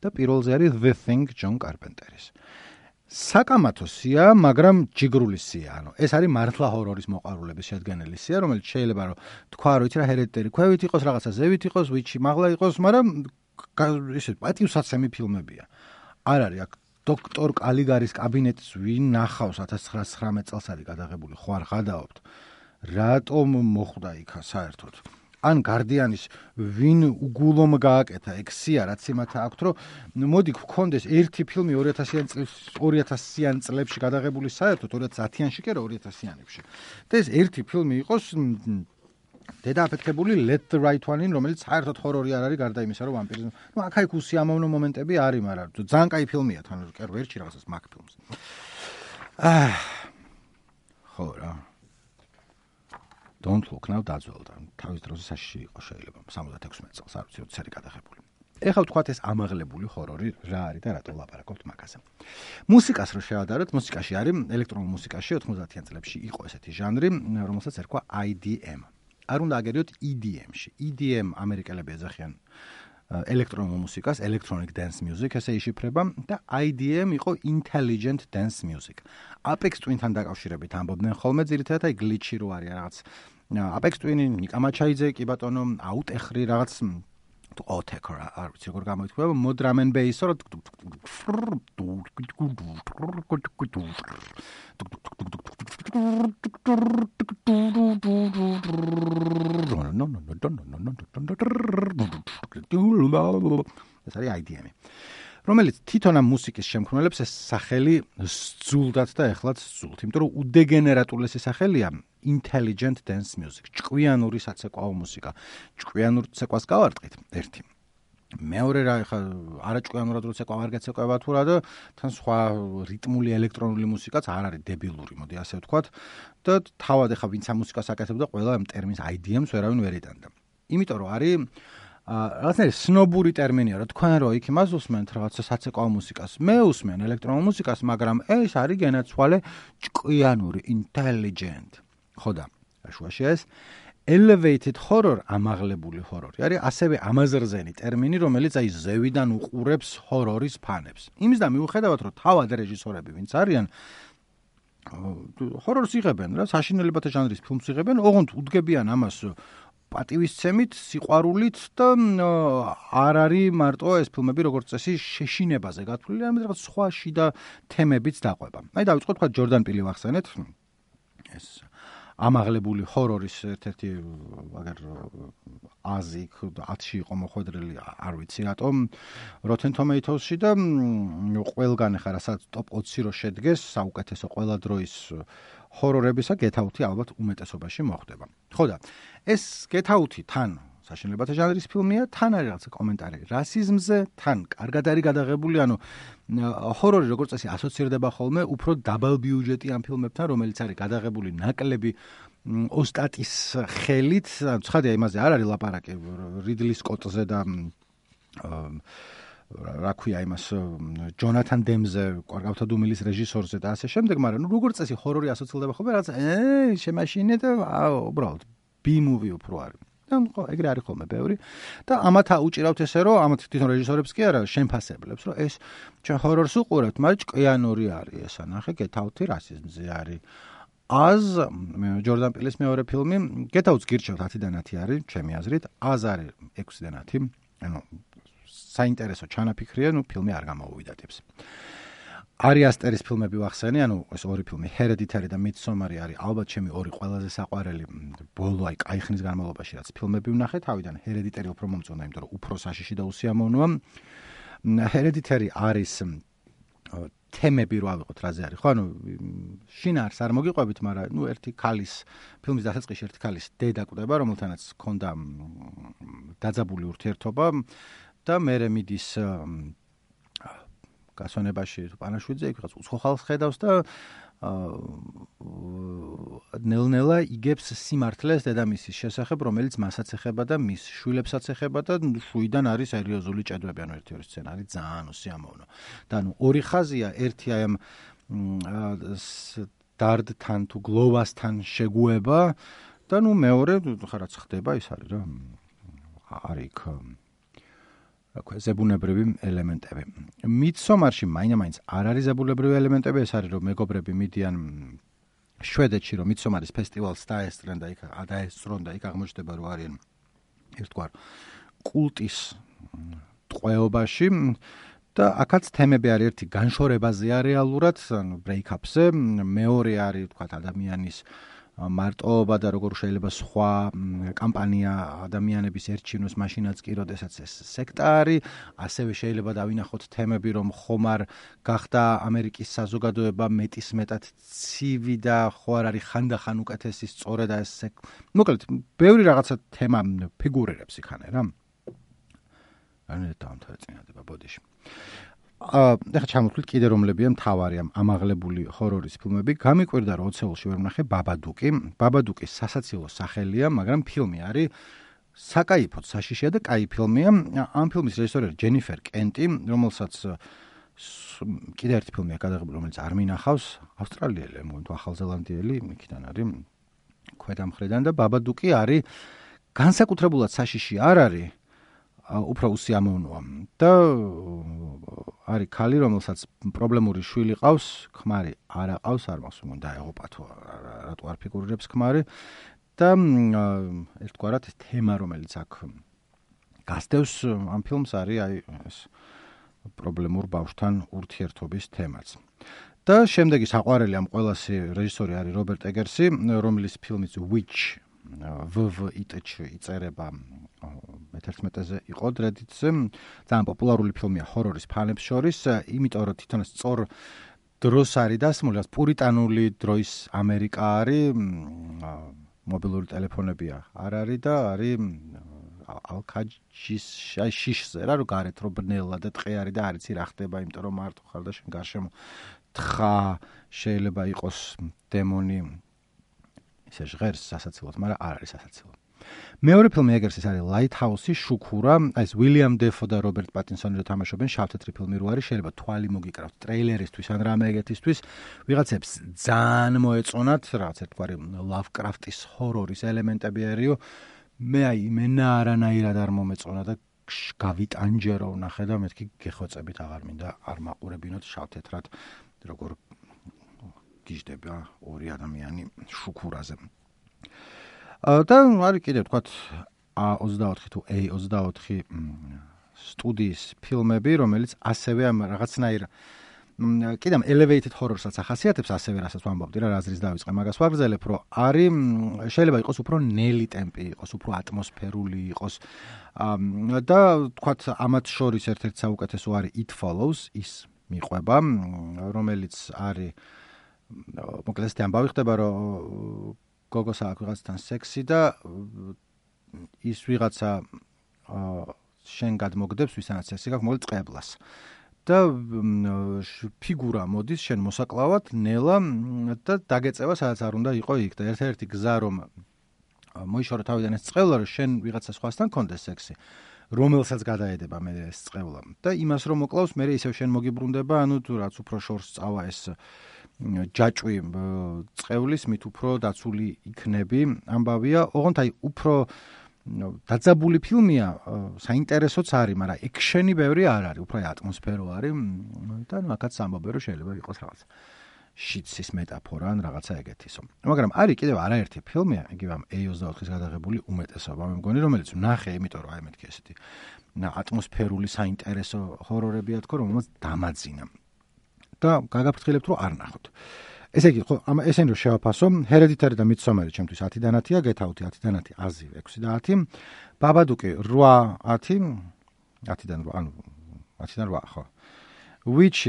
და პირველზე არის The Thing, ჯონ კარპენტერის. საკამათო სია, მაგრამ ჯიგრული სია. ანუ ეს არის მართლა ჰორორის მოყვარულების შედგენილი სია, რომელიც შეიძლება რომ თქვა, რომ იცი რა ჰერედიტერი ქვევით იყოს, რაღაცა ზევით იყოს, ვიჩი მაღლა იყოს, მაგრამ ისე პატივსაცემი ფილმებია. არ არის აქ დოქტორ კალიგარის კაბინეტის ვინ ნახავს ათას ცხრაასი ცხრამეტ წელს არის გადაღებული, ხო არ ხადაობთ. რატომ მოხვდა იქა საერთოდ? ან გარდიანის ვინ უგულომ გააკეთა ეგ სია რაც იმათა აქვთ რომ მოდი გქონდეს ერთი ფილმი ორი ათასიან წელს ორი ათასიან წლებში გადაღებული საერთოდ ორი ათას ათიანში კი არა ორი ათასიანებში და ეს ერთი ფილმი იყოს დედააფეთქებული Let the Right One In, რომელიც საერთოდ ჰორორი არ არის გარდა იმისა რომ ვამპირიზმი ნუ აქ-აქ უსიამოვნო მომენტები არის მაგრამ ძალიან კაი ფილმია თან კერ ვერჩი რაღაცას მაგ ფილმს აა ხო რა Don't Look Now დაძველდა. თავის დროზე საშიში იყო შეიძლება სამოცდათექვსმეტ წელს, არ ვიცი, როდის არის გადაღებული. ეხლა ვთქვათ ეს ამაღლებული ჰორორი რა არის და რატო ვლაპარაკობთ მაგაზე. მუსიკას რო შევადაროთ, მუსიკაში არის ელექტრონულ მუსიკაში ოთხმოცდაათიან წლებში იყო ესეთი ჟანრი, რომელსაც ერქვა I D M. არ უნდა აგერიოთ E D M-ში. E D M ამერიკელები ეძახიან ელექტრონულ მუსიკას, electronic dance music, ესე იშიფრება და I D M იყო intelligent dance music. Apex Twin-თან დაკავშირებით ამბობდნენ ხოლმე ძირითადად აი glitch-ი რო არის რაღაც Apex Twin-ი, ნიკა მაჩაიძე, კი ბატონო, აუტეხრი რაღაც ოტეკ რა, არ ვიცი როგორ გამოითქვება, mod drum and bass რო ეს არის I D M-ი. რომელიც თვითონ ამ მუსიკის შემქმნელებს ეს სახელი სძულდათ და ეხლაც სძულთ, იმიტომ რომ უდეგენერატულესი სახელია intelligent dance music, ჭკვიანური საცეკვაო მუსიკა. ჭკვიანურ ცეკვას გავარტყით ერთი. მეორე რა ხა არაჭკვიანურად რო ცეკვა არ გეცეკვება თუ რა და თან სხვა რიტმული ელექტრონული მუსიკაც არ არის დებილური, მოდი ასე ვთქვათ და თავად ხა ვინც ამ მუსიკას აკეთებდა, ყველა ამ ტერმინს I D M-ს ვერავინ ვერ იტანდა. იმიტომ რომ არის რაღაცნაირი სნობური ტერმინია, რა თქვენ რო იქ იმას უსმენთ რაღაცა საცეკვაო მუსიკას. მე უსმენ ელექტრონულ მუსიკას, მაგრამ ეს არის გენაცვალე ჭკვიანური, intelligent. ხო და შუაში ეს elevated horror, ამაღლებული ჰორორი. არის ასევე ამაზრზენი ტერმინი, რომელიც აი ზევიდან უყურებს ჰორორის ფანებს. იმის და მიუხედავად, რომ თავად რეჟისორები ვინც არიან ჰორორს იღებენ რა, საშინელებათა ჟანრის ფილმს იღებენ, ოღონდ უდგებიან ამას პატივისცემით, სიყვარულით და არ არის მარტო ეს ფილმები როგორც წესი შეშინებაზე გათვლილი, არამედ რაღაც სხვა შიდა თემებიც დაყვება. აი დავიწყოთ თქვა ჯორდან პილი ვახსენეთ. ეს ამაღლებული ჰორორის ერთ-ერთი აგერ აზი ათში იყო მოხვედრილი, არ ვიცი რატომ Rotten Tomatoes-ში და ყველგან ხა რასაც ტოპ ოცი რო შედგეს საუკეთესო ყველა დროის ჰორორებისა Get Out-ი ალბათ უმეტესობაში მოხვდება. ხო და ეს Get Out-ი თან საშინელებათა ჟანრის ფილმია, თან არის რაღაცა კომენტარი რასიზმზე, თან კარგად არის გადაღებული, ანუ ჰორორი როგორც წესი ასოცირდება ხოლმე უფრო დაბალ ბიუჯეტიან ფილმებთან, რომელიც არის გადაღებული ნაკლები ოსტატის ხელით, ცხადია იმაზე არ არის ლაპარაკი რიდლი სკოტზე და რა ქვია იმას ჯონათან დემზე, კვარგავთა დუმილის რეჟისორზე და ასე შემდეგ, მაგრამ ნუ როგორც წესი ჰორორი ასოცირდება ხოლმე რაღაცა ე შემაშინე და უბრალოდ B-movie უფრო არის. და ხო, ეგრე არის ხოლმე ბევრი და ამათ აუჭირავთ ესე რომ ამათ თვითონ რეჟისორებს კი არა შემფასებლებს რომ ეს ჩვენ ჰორორს უყურებთ, მაგრამ ჭკვიანური არის ეს ანახე Get Out-ი რასიზმზე არის. Az ჯორდან პილის მეორე ფილმი Get Out-ს გირჩევთ ათიდან ათი არის ჩემი აზრით, Az არის ექვსიდან ათი, ანუ საინტერესო ჩანაფიქრია, ნუ ფილმი არ გამოუვიდატებს. Ari Asteris ფილმები ვახსენე, ანუ ეს ორი ფილმი, Hereditary და Midsommar არის ალბათ ჩემი ორი ყველაზე საყვარელი ბოლო აი კაიხნის განმავლობაში რაც ფილმები ვნახე, თავიდან Hereditary უფრო მომწონდა, იმიტომ რომ უფრო საშიში და უსიამოვნოა. Hereditary არის თემები რო ავიღოთ რაზე არის, ხო, ანუ შინაარს არ მოგიყვებით, მაგრამ ნუ ერთი ქალის ფილმის დასაწყისში ერთი ქალის დედა კვდება, რომელთანაც ჰქონდა დაძაბული ურთიერთობა და მერე მიდის გასვენებაში პანაშვიდზე, იქ რაღაც უცხო ხალხს ხედავს და ნელ-ნელა იგებს სიმართლეს დედამისის შესახებ, რომელიც მასაც ეხება და მის შვილებსაც ეხება და შუიდან არის სერიოზული ჭედვები, ანუ ერთი-ორი სცენა არის ძალიან უსიამოვნო. და ანუ ორი ხაზია, ერთი აი ამ დარდთან თუ გლოვასთან შეგუება და ნუ მეორე ხარაც ხდება ის არის რა. არის იქ ზებუნებრივი ელემენტები. Midsommarში მაინც არ არის ზებუნებრივი ელემენტები, ეს არის რომ მეგობრები მიდიან შვედეთში, რომ Midsommaris ფესტივალს დაესწრენ და იქ დაესწრონ და იქ აღმოჩნდება რომ არიან ერთგვარ კულტის ტყვეობაში და აქაც თემები არის ერთი განშორებაზეა რეალურად, ანუ break-up-ზე, მეორე არის თქვათ ადამიანის მარტოობა და როგორ შეიძლება სხვა კამპანია ადამიანების ერჩინოს მაშინაც კი როდესაც ეს სექტა არის, ასევე შეიძლება დავინახოთ თემები რომ ხომარ გახდა ამერიკის საზოგადოება მეტისმეტად ცივი და ხო არ არის ხანდახან უკეთესი სწორედ ეს მოკლედ ბევრი რაღაცა თემა ფიგურირებს იქანე რა. ანუ დამთავრდა ბოდიში. ახლა ჩამოვთვლით კიდე რომლებია მთავარი ამ ამაღლებული ჰორორის ფილმები. გამიკვირდა რომ ოცეულში ვერ ვნახე ბაბადუკი. ბაბადუკის სასაცილო სახელია, მაგრამ ფილმი არის საკაიფოდ საშიშია და კაი ფილმია. ამ ფილმის რეჟისორია ჯენიფერ კენტი, რომელსაც კიდე ერთი ფილმი აქვს გადაღებული, რომელიც არ მინახავს, ავსტრალიელი, მგონი თუ ახალზელანდიელი, იქიდან არის ქვედა მხრიდან და ბაბადუკი არის განსაკუთრებულად საშიში არ არის. უფრო უსიამოვნოა და არის ქალი, რომელსაც პრობლემური შვილი ყავს, ქმარი არ აყავს, არ მას უნდა დაეღუპა თუ რატო არ ფიგურირებს ქმარი და ერთგვარად ეს თემა, რომელიც აქ გასდევს ამ ფილმს არის აი ეს პრობლემურ ბავშვთან ურთიერთობის თემაც. და შემდეგი საყვარელი ამ ყველასი რეჟისორი არის რობერტ ეგერსი, რომლის ფილმიც Witch ვვიტჩ იწერება მეთერთმეტეზე იყო დრედიტზე. ძალიან პოპულარული ფილმია ჰორორის ფანებს შორის, იმიტომ რომ თვითონ სწორ დროს არის დასმული, პურიტანული დროის ამერიკა არის, მობილური ტელეფონებია არ არის და არის ალკაჯის შიშზე რა, რომ გარეთ რო ბნელა და ტყე არის და არ იცი რა ხდება, იმიტომ რომ მარტო ხარ და შენ გარშემო თხა შეიძლება იყოს დემონი ისე ჟღერს სასაცილოდ, მაგრამ არ არის სასაცილო. მეორე ფილმი ეგერსის არის Lighthouse-ი, შუქურა, ეს William Dafoe და Robert Pattinson-ი თამაშობენ, შავ-თეთრი ფილმი რო არის, შეიძლება თვალი მოგიკრავთ ტრეილერისთვის ან რამე ეგეთისთვის, ვიღაცებს ძალიან მოეწონათ, რაღაც ერთგვარი Lovecraft-ის ჰორორის ელემენტები არისო. მე აი მენა არანაირად არ მომეწონა და გავიტანჯერო ვნახე და მეთქი გეხვეწებით აღარ მინდა არ მაყურებინოთ შავ-თეთრად როგორ გიждდება ორი ადამიანი შუქურაზე. და არის კიდე თქვათ A ოცდაოთხი თუ A ოცდაოთხი სტუდიის ფილმები, რომელიც ასევე ამ რაღაცნაირ კიდე ამ elevated horror-საც ახასიათებს, ასევე რასაც ვამბობდი რა, რაზრის დავიწყე, მაგას ვაგრძელებ, რომ არის შეიძლება იყოს უფრო ნელი ტემპი, იყოს უფრო ატმოსფერული, იყოს და თქვათ ამათ შორის ერთ-ერთი საუკეთესო არის It Follows, ის მიყვება, რომელიც არის მოკლედ ეს ამბავი ხდება, რომ გოგოს აქვს ვიღაცთან სექსი და ის ვიღაცა შენ გადმოგდებს, ვისანაც სექსი გაქვს, მოკლედ წყებლას. და ფიგურა მოდის შენ მოსაკლავად, ნელა და დაგეწევა, სადაც არ უნდა იყო იქ და ერთ-ერთი გზა რომ მოიშორო თავიდან ეს წყევლა, რომ შენ ვიღაცა სხვასთან კონდეს სექსი, რომელსაც გადაედება მე ეს წყევლა და იმას რომ მოკლავს, მე ისევ შენ მოგიბრუნდება, ანუ თუ რაც უფრო შორს წავა ეს ჯაჭვი წყევლის, მით უფრო დაცული იქნები. ამბავია, ოღონდ აი უფრო დაძაბული ფილმია, საინტერესოც არის, მაგრამ ექშენი ბევრი არ არის, უფრო ატმოსფერო არის და ნუ აქაც ამბობენ, რომ შეიძლება იყოს რაღაც შიცის მეტაფორა ან რაღაცა ეგეთისო. მაგრამ არის კიდევ არაერთი ფილმი, იგივე ამ ე ოცდაოთხის გადაღებული უმეტესობა, მე მგონი, რომელიც ვნახე, იმიტომ რომ აი მეთქი ესეთი ატმოსფერული საინტერესო ჰორორებია თქო, რომელსაც დამაძინა. და გაგაფრთხილებთ რომ არ ნახოთ. ესე იგი, ხო, ამ ესენი რომ შევაფასო, Hereditary და Midsommar ჩემთვის ათიდან ათია, Get Out ათიდან ათი, აზი ექვსი და ათი, Babadook რვა ათი, ათიდან რვა, ანუ ათიდან რვა, ხო. Witch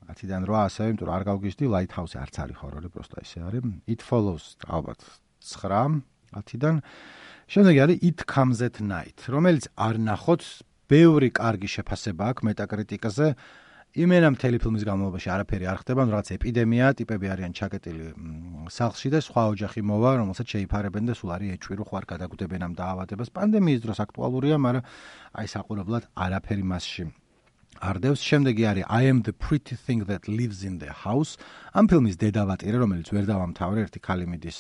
ათიდან რვა ასევე, იმიტომ რომ არ გავგიჟდი, Lighthouse არც არის ჰორორი, პროსტა ისე არის. It Follows ალბათ ცხრა ათიდან. შემდეგ არის It Comes at Night, რომელიც არ ნახოთ, ბევრი კარგი შეფასება აქვს მეტაკრიტიკაზე. იმენა მთელი ფილმის განმავლობაში არაფერი არ ხდება, ანუ რაღაც ეპიდემია, ტიპები არიან ჩაკეტილი სახლში და სხვა ოჯახი მოვა, რომელსაც შეიფარებენ და სულ არის ეჭვი, რომ ხوار გადაგუდებენ ამ დაავადებას. პანდემიის დროს აქტუალურია, მაგრამ აი საყურებლად არაფერი მასში არ დევს. შემდეგი არის I Am the Pretty Thing That Lives in the House. ამ ფილმის დედავატირე, რომელიც ვერ დავამთავრე, ერთი ქალი მიდის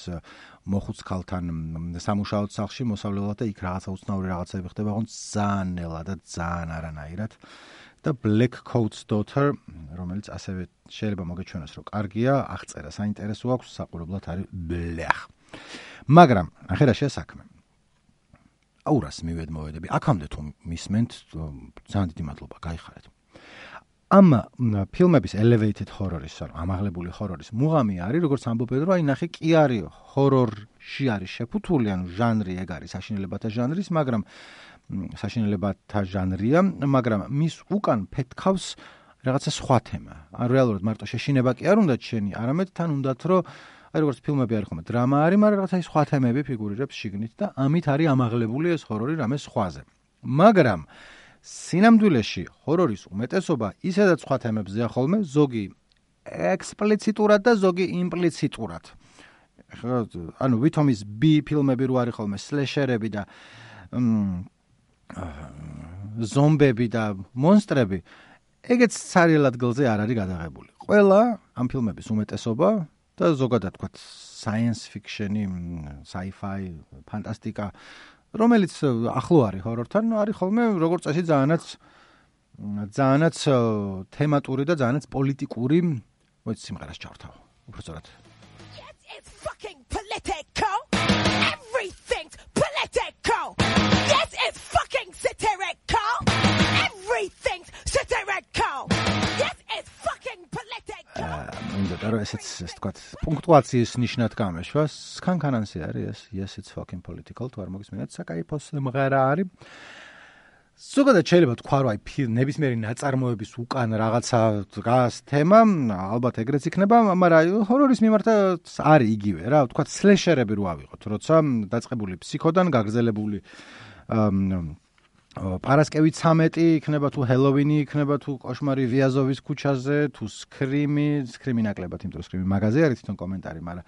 მოხუც ქალთან სამუშაოდ სახლში მოსავლელად და იქ რაღაცა უცნაური რაღაცები ხდება, ოღონდ ძალიან ნელა და ძალიან არანაირად. და Black Coat's Daughter, რომელიც ასევე შეიძლება მოგეჩვენოს, რომ კარგია, აღწერა საინტერესო აქვს, საყურებლად არის ბლეხ. მაგრამ, ახლა რა შეასაქმე? აურას მივედმოვედები. აქამდე თუ მისმენთ, ძალიან დიდი მადლობა, გაიხარეთ. ამ ფილმების elevated horror-ის, ანუ ამაღლებული ჰორორის მუღამი არის, როგორც ამბობენ, რომ აი ნახე კი არის ჰორორში არის შეფუთული, ანუ ჟანრი ეგ არის საშინელებათა ჟანრის, მაგრამ საშინელებათა ჟანრია, მაგრამ მის უკან ფეთქავს რაღაცა სხვა თემა. ან რეალურად მარტო შეშინება კი არ უნდათ შენი, არამედ თან უნდათ, რომ აი როგორც ფილმები არის ხომ, დრამა არის, მაგრამ რაღაცა სხვა თემები ფიგურირებს შიგნით და ამით არის ამაღლებული ეს ჰორორი რამე სხვაზე. მაგრამ სინამდვილეში ჰორორის უმეტესობა ისედაც სხვა თემებზეა ხოლმე, ზოგი ექსპლიციტურად და ზოგი იმპლიციტურად. ხო, ანუ ვითომის B ფილმები რო არის ხოლმე, სლეშერები და ზომბები და მონსტრები, ეგეც სერიალ ადგილზე არ არის გადაღებული. ყველა ამ ფილმების უმეტესობა და ზოგადად თქვა science fiction-ი, sci-fi, ფანტასტიკა, რომელიც ახლო არის ჰორორთან, არის ხოლმე როგორც წესი ძალიანაც ძალიანაც თემატური და ძალიანაც პოლიტიკური, მოიц სიმღერას ჩავთავ. უბრალოდ Yes, it's fucking political. Everything's political. Yes, it's fucking satirical. Everything's satirical. Yes, it's fucking political. უნდა და ესეც ეს თქვა პუნქტუაციის ნიშნად გამეშვა. სქანქანანსი არის ეს. Yes, it's fucking political. თუ არ მოგისმენთ, საკაიფო სიმღერა არის. ზოგადად შეიძლება თქვა, რომ აი ნებისმიერი ნაწარმოების უკან რაღაცა დგას თემა, ალბათ ეგრეც იქნება, მაგრამ ჰორორის მიმართ არის იგივე რა, თქვა სლეშერები რო ავიღოთ, როცა დაწყებული ფსიქოდან გაგრძელებული პარასკევი ცამეტი იქნება, თუ ჰელოვინი იქნება, თუ კოშმარი ვიაზოვის ქუჩაზე, თუ სკრიმი, სკრიმი ნაკლებად, იმიტომ რომ სკრიმი მაღაზია არის თვითონ კომენტარი, მაგრამ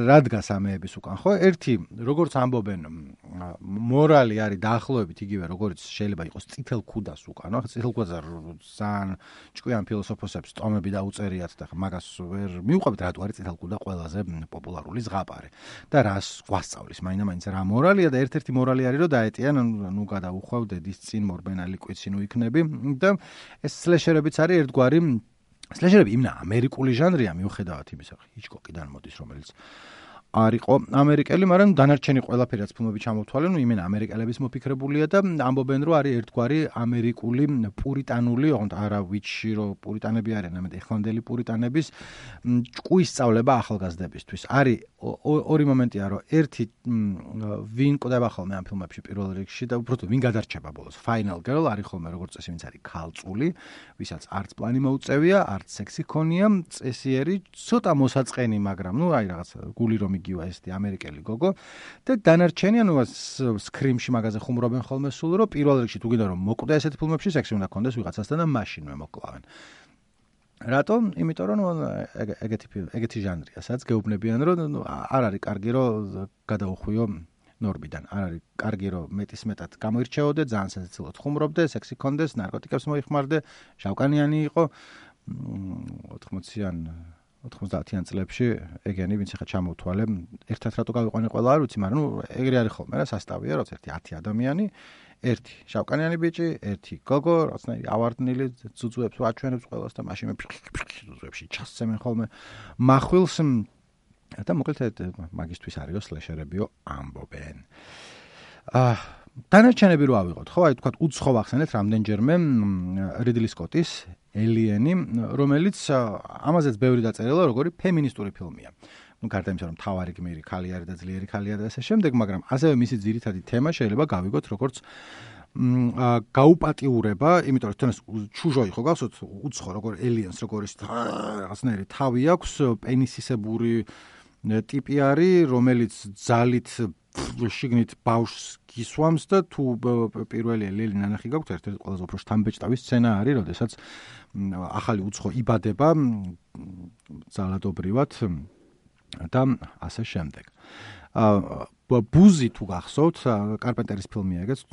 რა დგას ამეების უკან, ხო? ერთი, როგორც ამბობენ, მორალი არის დაახლოებით იგივე, როგორც შეიძლება იყოს წითელ ქუდას უკან, ხო? წითელ ქუდაზე ძალიან ჭკვიან ფილოსოფოსებს ტომები დაუწერიათ და მაგას ვერ მიუყვებით, რატო არის წითელ ქუდა ყველაზე პოპულარული ზღაპარი და რას გვასწავლის მაინდა-მაინც რა მორალია და ერთ-ერთი მორალი არის, რომ დაეტიან, ნუ გადაუხვა დედის წინ მორბენა ლიკვიდში ნუ იქნები და ეს სლეშერებიც არის ერთგვარი სლეშერები იმნა ამერიკული ჟანრია მიუხედავად იმისა, ჰიჩკოკიდან მოდის, რომელიც არისო ამერიკელი, მაგრამ დანარჩენი ყველაფერი რაც ფილმები ჩამოთვალე, ნუ იმენა ამერიკელების მოფიქრებულია და ამბობენ, რომ არის ერთგვარი ამერიკული პურიტანული, ოღონდ არა ვიჩი, რომ პურიტანები არიან, ამეთ ეხლანდელი პურიტანების ჭკუის სწავლება ახალგაზრდებისთვის. არის ორი მომენტია, რომ ერთი ვინ ყდება ხოლმე ამ ფილმებში პირველ რიგში და უბრალოდ ვინ გადარჩება ბოლოს. Final Girl არის ხოლმე როგორც წესი, ვინც არის ქალწული, ვისაც არც პლანი მოუწევია, არც სექსი ქონია, წესიერი, ცოტა მოსაწყენი, მაგრამ ნუ აი რაღაც გული რომ იგივე ესეთი ამერიკელი გოგო და დანარჩენი, ანუ სკრიმში მაგაზე ხუმრობენ ხოლმე სულ, რომ პირველ რიგში თუ გინდა რომ მოკვდა ესეთ ფილმებში, სექსი უნდა კონდეს ვიღაცასთან და მაშინვე მოკლავენ. რატომ? იმიტომ რომ ეგეთი ეგეთი ჟანრია, სადაც გეუბნებიან, რომ არ არის კარგი რომ გადაუხვიო ნორმიდან. არ არის კარგი რომ მეტის მეტად გამოირჩეოდე, ძალიან სასაცილოდ ხუმრობდე, სექსი კონდეს, ნარკოტიკებს მოიხმარდე, შავკანიანი იყო ოთხმოციან ოთხმოცდაათიან წლებში ეგენი ვინც ახლა ჩამოვთვალე, ერთად რატო გავიყვანე ყველა არ ვიცი, მაგრამ ნუ ეგრე არის ხოლმე რა სასტავია, როცა ერთი ათი ადამიანი, ერთი შავკანიანი ბიჭი, ერთი გოგო, რაღაცნაირი ავარდნილი, ძუძუებს ვაჩვენებს ყველას და მაშინ ინსტიტუტებში ჩასცემენ ხოლმე מחვილს და მოკლედ მაგისტვის არისო სლეშერებიო ამბობენ. აა დანარჩენები რო ავიღოთ, ხო, აი თქვა უცხო ახსენეთ რამდენჯერმე რიდლი სკოტის ელიენი, რომელიც ამაზეც ბევრი დაწერილა, როგორი ფემინისტური ფილმია. ну გარდა იმისა, რომ თავარი გმირი ქალი არის და ძლიერი ქალი არის და ასე შემდეგ, მაგრამ ასევე მისი ძირითადი თემა შეიძლება გავიგოთ როგორც გაუპატიურება, იმიტომ რომ თუნდაც ჩუჟო იყო, გახსოვთ, უცხო როგორ ელიენს, როგორ ის რაღაცნაირი თავი აქვს, პენისისებური ტიპი არის, რომელიც ძალით შიგნით ბავშვს გისვამს და თუ პირველი ელი ნანახი გაქვთ, ერთ-ერთი ყველაზე უფრო შთამბეჭდავი სცენა არის, როდესაც ახალი უცხო იბადება ძალადობრივად და ასე შემდეგ. ბუზი თუ გახსოვთ, კარპენტერის ფილმია ეგეც,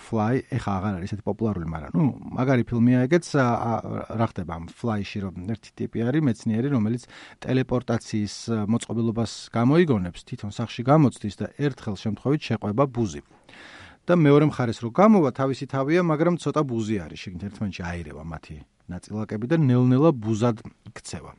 Fly, ეხა აღარ არის ესეთი პოპულარული, მაგრამ ნუ მაგარი ფილმია ეგეც, რა ხდება ამ Fly-ში, რომ ერთი ტიპი არის მეცნიერი, რომელიც ტელეპორტაციის მოწყობილობას გამოიგონებს, თვითონ სახში გამოცდის და ერთხელ შემთხვევით შეყვება ბუზი. და მეორე მხარეს რო გამოვა, თავისი თავია, მაგრამ ცოტა ბუზი არის, შეგნით ერთმანეთში აირევა მათი ნაწილაკები და ნელ-ნელა ბუზად იქცევა.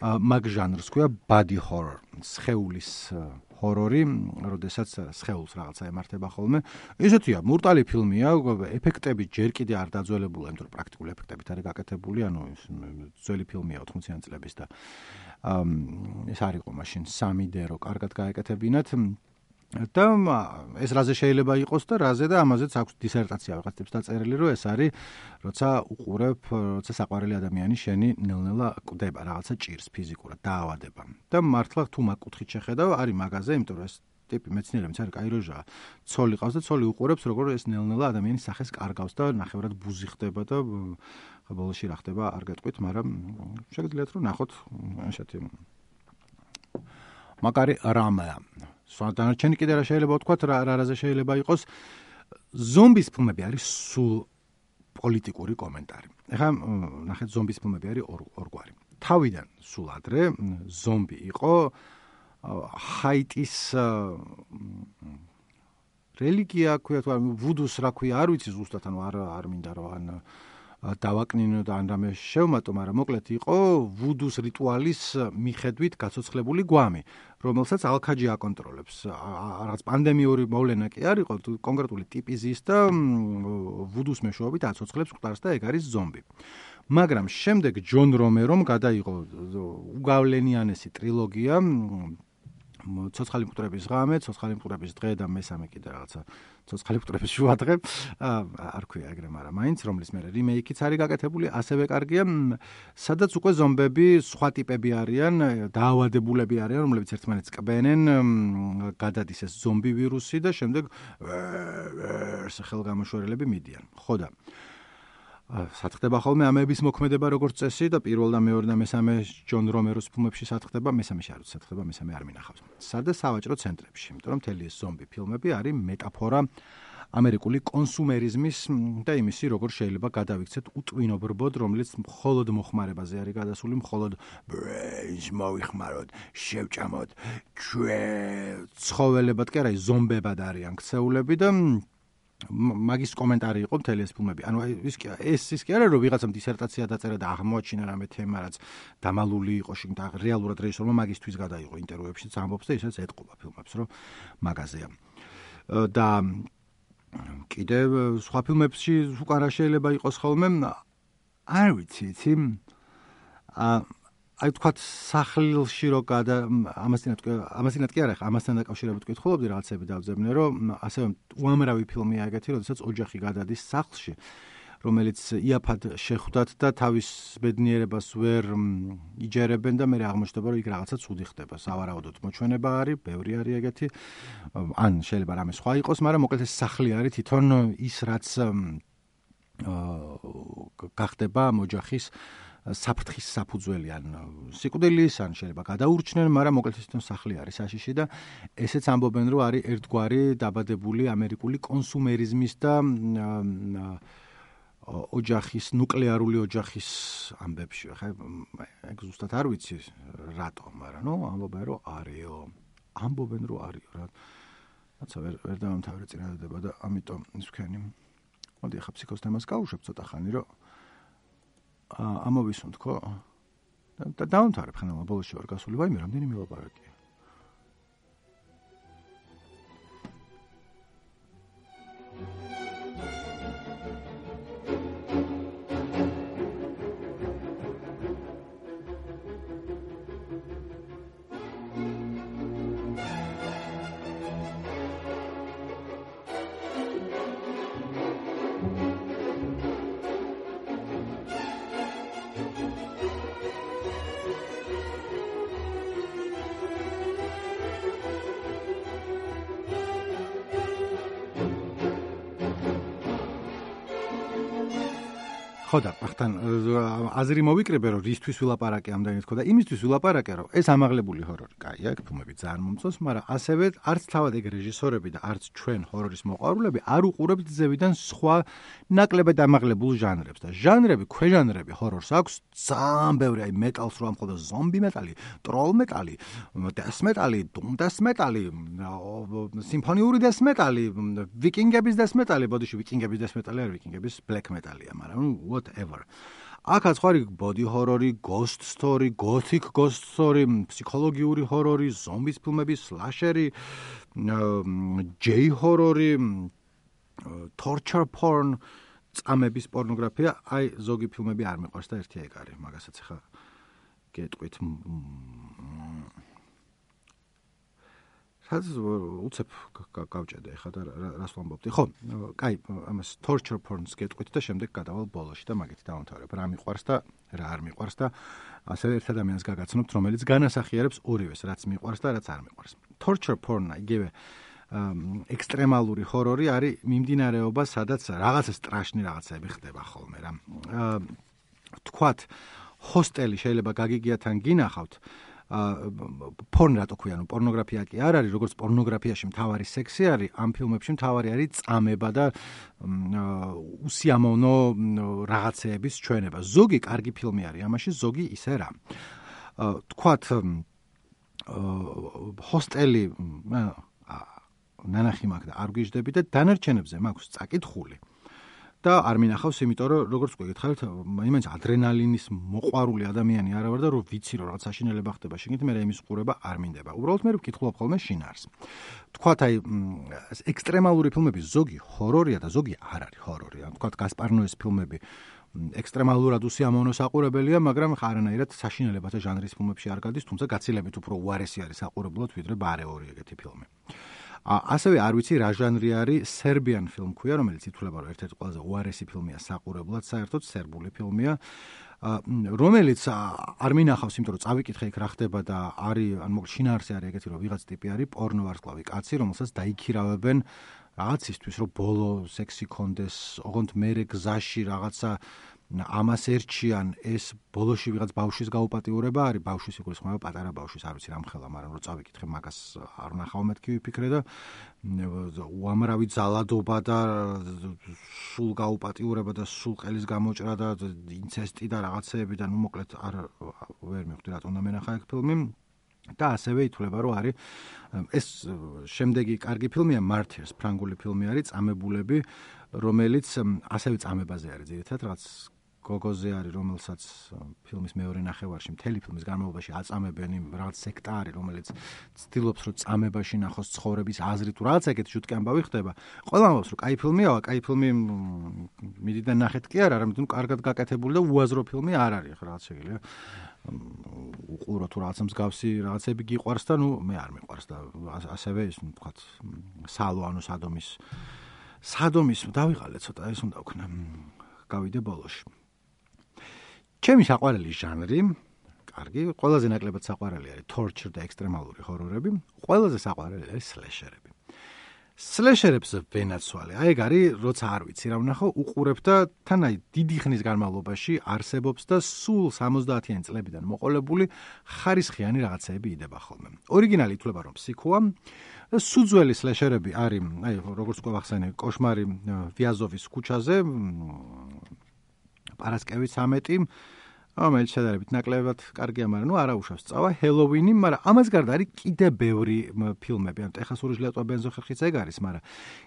მაგ ჟანრს ქვია body horror, სხეულის ჰორორი, როდესაც სხეულს რაღაცა ემართება ხოლმე. ისეთია, მურტალი ფილმია, ეფექტები ჯერ კიდე არ დაძველებულა, იმიტომ რომ პრაქტიკული ეფექტებით არის გაკეთებული, ანუ ძველი ფილმია ოთხმოციანი წლების და ეს არ იყო მაშინ სამი დე რო კარგად გაეკეთებინათ. და ეს რაზე შეიძლება იყოს და რაზე და ამაზეც აქვს დისერტაცია ვიღაც ტიპს დაწერილი, რომ ეს არის, როცა უყურებ, როცა საყვარელი ადამიანი შენი ნელ-ნელა კვდება რაღაცა ჭირს ფიზიკურად, დაავადება. და მართლა თუ მაგ კუთხით შეხედავ, არის მაგაზე, იმიტომ რომ ეს ტიპი მეცნიერებიც არის კაი როჟაა. ცოლი ყავს და ცოლი უყურებს, როგორ ეს ნელ-ნელა ადამიანის სახეს კარგავს და ნახევრად ბუზი ხდება და ბოლოში რა ხდება, არ გეტყვით, მაგრამ შეგიძლიათ რომ ნახოთ ესეთი მაგარი რამაა. სვადანარჩენი კიდე რა შეიძლება ვთქვათ, რა რაზე შეიძლება იყოს. ზომბის ფილმები არის სულ პოლიტიკური კომენტარი. ეხლა ნახეთ, ზომბის ფილმები არის ორგვარი. თავიდან სულ ადრე ზომბი იყო ჰაიტის რელიგია, ქვია თუ ვუდუს რა ქვია, არ ვიცი ზუსტად, ანუ არ არ მინდა რომ ან დავაკნინო და ან რამე შევმატო, მაგრამ მოკლედ იყო ვუდუს რიტუალის მიხედვით გაცოცხლებული გვამი, რომელსაც ალქაჯი აკონტროლებს. რაღაც პანდემიური მოვლენა კი არ იყო, კონკრეტული ტიპი ზის და ვუდუს მეშვეობით აცოცხლებს მყდარს და ეგ არის ზომბი. მაგრამ შემდეგ ჯონ რომერომ გადაიღო უგავლენიანესი ტრილოგია, ცოცხალი მკვდრების ღამე, ცოცხალი მკვდრების დღე და მესამე კიდე რაღაცა ცოცხალი მკვდრების შუადღე, არ ქვია ეგრე, მაგრამ მაინც რომლის მერე რიმეიკიც არის გაკეთებული, ასევე კარგია, სადაც უკვე ზომბები სხვა ტიპები არიან, დაავადებულები არიან, რომლებიც ერთმანეთს კბენენ, გადადის ეს ზომბი ვირუსი და შემდეგ ხელგამოშვერილები მიდიან. ხო და სათხდება ხოლმე ამების მოქმედება როგორც წესი და პირველ და მეორე და მესამე ჯონ რომეროს ფილმებში სათხდება, მესამეში არ სათხდება, მესამე არ მინახავს. სადა სავაჭრო ცენტრებში, იმიტომ რომ მთელი ეს ზომბი ფილმები არის მეტაფორა ამერიკული კონსუმერიზმის და იმისი, როგორ შეიძლება გადავიქცეთ უტვინობრბოდ, რომელიც მხოლოდ მოხმარებაზე არის გადასული, მხოლოდ brains მოიხმაროთ, შევჭამოთ, ჩვენ ცხოველებად კი არა, ზომბებად არიან ქცეულები და მაგის კომენტარი იყო მთელი ეს ფილმები. ანუ ის კი ეს ის კი არა, რომ ვიღაცამ დისერტაცია დაწერა და აღმოაჩინა რამე თემა, რაც დამალული იყო შიგნით, რეალურად რეჟისორმა მაგისთვის გადაიღო ინტერვიუებშიც ამბობს და ისაც ეტყობა ფილმებს, რომ მაგაზეა. და კიდე სხვა ფილმებში უკარა შეიძლება იყოს ხოლმე, არ ვიცი, იცი, აი თქვათ სახლში რო გადა ამასთანაც ამასთანაც კი არა, ამასთან დაკავშირებით ვკითხულობდი რაღაცები დავძებნე, რომ ასევე უამრავი ფილმია ეგეთი, როდესაც ოჯახი გადადის სახლში, რომელიც იაფად შეხვდათ და თავის ბედნიერებას ვერ იჯერებენ და მე აღმოჩნდება, რომ იქ რაღაცა ცუდი ხდება. სავარაუდოდ მოჩვენება არის, ბევრი არის ეგეთი. ან შეიძლება რამე სხვა იყოს, მაგრამ მოკლედ ეს სახლი არის თვითონ ის, რაც გახდება ამ ოჯახის საფრთხის საფუძველი, ან სიკვდილის, ან შეიძლება გადაურჩნენ, მაგრამ მოკლედ თვითონ სახლი არის საშიში და ესეც ამბობენ, რომ არის ერთგვარი დაბადებული ამერიკული კონსუმერიზმის და ოჯახის, ნუკლეარული ოჯახის ამბებში. ხა ეგ ზუსტად არ ვიცი რატო, მაგრამ ნუ ამბობენ, რომ არისო. ამბობენ, რომ არის რა. რაცა ვერ ვერ დავამთავრე წინადადება და ამიტომ ის ვქენი. მოდი ახლა ფსიქოს თემას გავუშვებ ცოტა ხანი, რომ ამოვისუნთ, ხო? და დაუნთარებ ხანმა ბოლოში ვარ გასული, ვაიმე რამდენი მილაპარაკია. ხოდა, ახთან აზრი მოვიკრიბე, რომ რისთვის ვილაპარაკე ამდენით ხო და იმისთვის ვილაპარაკე, რომ ეს ამაღლებული ჰორორი, კაია, ფილმები ძალიან მომწონს, მაგრამ ასევე არც თავად ეგ რეჟისორები და არც ჩვენ ჰორორის მოყვარულები არ უყურებთ ძევიდან სხვა ნაკლებად ამაღლებულ ჟანრებს და ჟანრები, ქვეჟანრები ჰორორს აქვს ძალიან ბევრი, აი მეტალს რო ამხოდა ზომბი მეტალი, ტროლ მეტალი, დეს მეტალი, დუმ დეს მეტალი, სიმფონიური დეს მეტალი, ვიკინგების დეს მეტალი, ბოდიში ვიკინგების დეს მეტალი არ ვიკინგების ბლეკ მეტალია, მაგრამ whatever. აქაც ხარი body horror, ghost story, gothic ghost story, ფსიქოლოგიური ჰორორი, ზომბის ფილმები, სლაშერი, J horror, torture porn, წამების პორნოგრაფია, აი ზოგი ფილმები არ მიყვარს და ერთი ეგ არის, მაგასაც ახლა გეტყვით. რაც უცებ გავჭედე ხა და რას ვამბობდი. ხო, კაი, ამას torture porn-ს გეტყვით და შემდეგ გადავალ ბოლოში და მაგით დავამთავრებ. რა მიყვარს და რა არ მიყვარს და ასევე ერთ ადამიანს გაგაცნობთ, რომელიც განასახიერებს ორივეს, რაც მიყვარს და რაც არ მიყვარს. Torture porn-ი იგივე ექსტრემალური ჰორორი არის მიმდინარეობა, სადაც რაღაცა სტრაშნი რაღაცები ხდება ხოლმე რა. თქვათ, ჰოსტელი შეიძლება გაგიგიათ ან გინახავთ, porn რატო ქვია, პორნოგრაფია კი არ არის, როგორც პორნოგრაფიაში მთავარი სექსი არის, ამ ფილმებში მთავარი არის წამება და უსიამოვნო რაღაცეების ჩვენება. ზოგი კარგი ფილმი არის, ამაში ზოგი ისე რა. თქვათ, ჰოსტელი ნანახი მაქვს და არ გიждები და დანარჩენებზე მაქვს წაკითხული. და არ მინახავს, იმიტომ რომ როგორც გეკითხავთ, იმენს ადრენალინის მოყვარული ადამიანი არა ვარ და რომ ვიცი რომ რაღაც საშინელება ხდება შეგით, მე იმის ყურება არ მინდება. უბრალოდ მე ვკითხულობ ხოლმე შინაარს. თქვათ აი ექსტრემალური ფილმები ზოგი ჰორორია და ზოგი არ არის ჰორორი. თქვათ გასპარ ნოეს ფილმები ექსტრემალურად უსიამოვნო საყურებელია, მაგრამ არანაირად საშინელებათა ჟანრის ფილმებში არ გადის, თუმცა გაცილებით უფრო უარესი არის საყურებლად ვიდრე ბარეორი ეგეთი ფილმი. ასევე არ ვიცი რა ჟანრი არის სერბიან ფილმ ქვია, რომელიც ითვლება რომ ერთ-ერთი ყველაზე უარესი ფილმია საყურებლად, საერთოდ სერბული ფილმია, რომელიც არ მინახავს, იმიტომ რომ წავიკითხე იქ რა ხდება და არის, ან მოკლედ შინაარსი არის ეგეთი, რომ ვიღაც ტიპი არის პორნო ვარსკვლავი კაცი, რომელსაც დაიქირავებენ რაღაცისთვის, რომ ბოლო სექსი კონდეს, ოღონდ მერე გზაში რაღაცა ამას ერჩიან, ეს ბოლოში ვიღაც ბავშვის გაუპატიურება არის, ბავშვის იგულისხმება პატარა ბავშვის, არ ვიცი რამხელა, მაგრამ რომ წავიკითხე მაგას არ ვნახავ მეთქი ვიფიქრე და უამრავი ძალადობა და სულ გაუპატიურება და სულ ყელის გამოჭრა და ინცესტი და რაღაცეები და ნუ მოკლედ არ ვერ მივხვდი რატომ და მენახა ეგ ფილმი. და ასევე ითვლება რომ არის ეს შემდეგი კარგი ფილმია Martyrs, ფრანგული ფილმი არის, წამებულები, რომელიც ასევე წამებაზე არის ძირითადად, რაღაც გოგოზე არის, რომელსაც ფილმის მეორე ნახევარში, მთელი ფილმის განმავლობაში აწამებენ, რაღაც სექტა არის, რომელიც ცდილობს რომ წამებაში ნახოს ცხოვრების აზრი თუ რაღაც ეგეთი შუტკი ამბავი ხდება. ყველა ამბობს რომ კაი ფილმია, კაი ფილმი მიდიდან ნახეთ კი არა, არამედ კარგად გაკეთებული და უაზრო ფილმი არ არის, ხო რაღაც შეგიძლია უყურო თუ რაღაცა მსგავსი რაღაცები გიყვარს და ნუ მე არ მიყვარს და ასევე ის თქვათ სალო ანუ სადომის სადომის დავიღალე ცოტა ეს უნდა ვქნა გავიდე ბოლოში. ჩემი საყვარელი ჟანრი, კარგი, ყველაზე ნაკლებად საყვარელი არის torture და ექსტრემალური ჰორორები, ყველაზე საყვარელი არის სლეშერები. სლეშერებს ვენაცვალე. აი ეგ არის, როცა არ ვიცი რა ვნახო, უყურებ და თან აი დიდი ხნის განმავლობაში არსებობს და სულ სამოცდაათიანი წლებიდან მოყოლებული ხარისხიანი რაღაცეები იდება ხოლმე. ორიგინალი ითვლება რომ ფსიქოა. სუძველი სლეშერები არის, აი როგორც გვახსენე, კოშმარი ვიაზოვის ქუჩაზე, პარასკევი ცამეტი, რომელიც შედარებით ნაკლებად კარგია, მაგრამ ნუ არა უშავს წავა, ჰელოვინი, მაგრამ ამას გარდა არის კიდე ბევრი ფილმები, ანუ ტეხასური ჟლეტვა ბენზოხერხიც ეგ არის, მაგრამ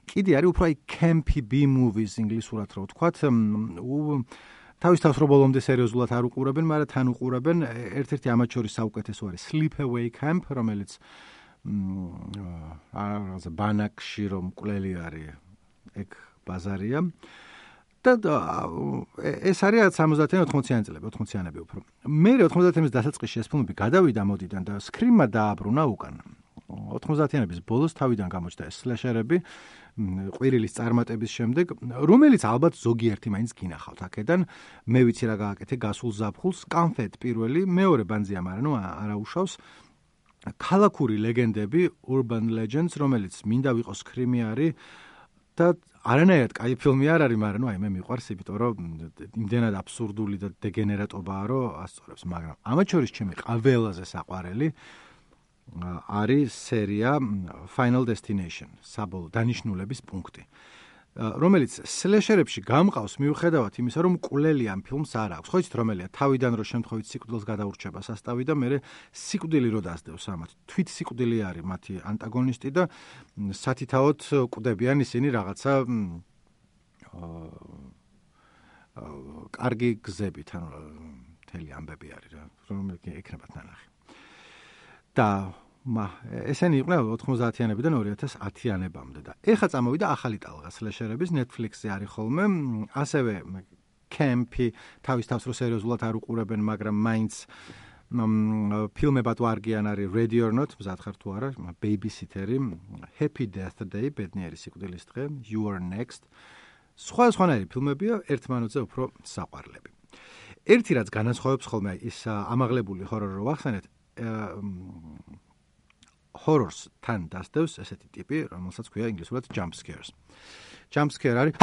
კიდე არის უფრო აი campy B movies ინგლისურად რო ვთქვათ, თავის თავს რო ბოლომდე სერიოზულად არ უყურებენ, მაგრამ თან უყურებენ. ერთ-ერთი ამათ შორის საუკეთესო არის Sleepaway Camp, რომელიც აა ბანაკში რომ მკვლელი არის, ეგ ბაზარია. და ეს არის სამოცდაათიანი ოთხმოციანი წლები, ოთხმოციანები უფრო. მე ოთხმოცდაათიანების დასაწყისში ეს ფილმები გადავიდა მოდიდან და სკრიმმა დააბრუნა უკან. ოთხმოცდაათიანების ბოლოს თავიდან გამოჩნდა ეს სლეშერები, ყვირილის წარმატების შემდეგ, რომელიც ალბათ ზოგიერთი მაინც გინახავთ აქედან. მე ვიცი რა გააკეთე გასულ ზაფხულს, კანფეტ პირველი, მეორე ბანზია, მაგრამ ნუ არა უშავს. ქალაქური ლეგენდები, Urban Legends, რომელიც მინდა ვიყოს სკრიმი არის და არანაირად კაი ფილმი არ არის, მაგრამ ნუ აი მე მიყვარს, იმიტომ რომ იმდენად აბსურდული და დეგენერატობაა, რომ ასწორებს, მაგრამ ამათ შორის ჩემი ყველაზე საყვარელი არის სერია Final Destination, საბოლოო დანიშნულების პუნქტი, რომელიც სლეშერებში გამყავს მიუხედავად იმისა, რომ მკვლელი ამ ფილმს არ აქვს. ხო იცით რომელია? თავიდან რო შემთხვევით სიკვდილს გადაურჩება სასტავი და მე სიკვდილი რო დასდევს ამათ. თვით სიკვდილი არის მათი ანტაგონისტი და სათითაოდ კვდებიან ისინი რაღაცა კარგი გზებით, ანუ მთელი ამბები არის რა, რომელიც ექნებათ ნანახი. და მა ესენი იყვნენ ოთხმოცდაათიანებიდან ორი ათას ათიანებამდე და ეხლა წამოვიდა ახალი ტალღა სლეშერების Netflix-ზე არის ხოლმე, ასევე კემპი, თავის თავს რო სერიოზულად არ უყურებენ, მაგრამ მაინც ფილმებად ვარგიან არის Ready or Not, მზად ხარ თუ არა, Babysitter-ი, Happy Death Day, ბედნიერი სიკვდილის დღე, You Are Next. სხვა სხვანაირი ფილმებია, ერთმანეთზე უფრო საყვარლები. ერთი რაც განასხვავებს ხოლმე ის ამაღლებული ჰორორი რო ვახსენეთ, horrors თან დასდევს ესეთი ტიპი, რომელსაც ქვია ინგლისურად jump scares. Jump scare არის,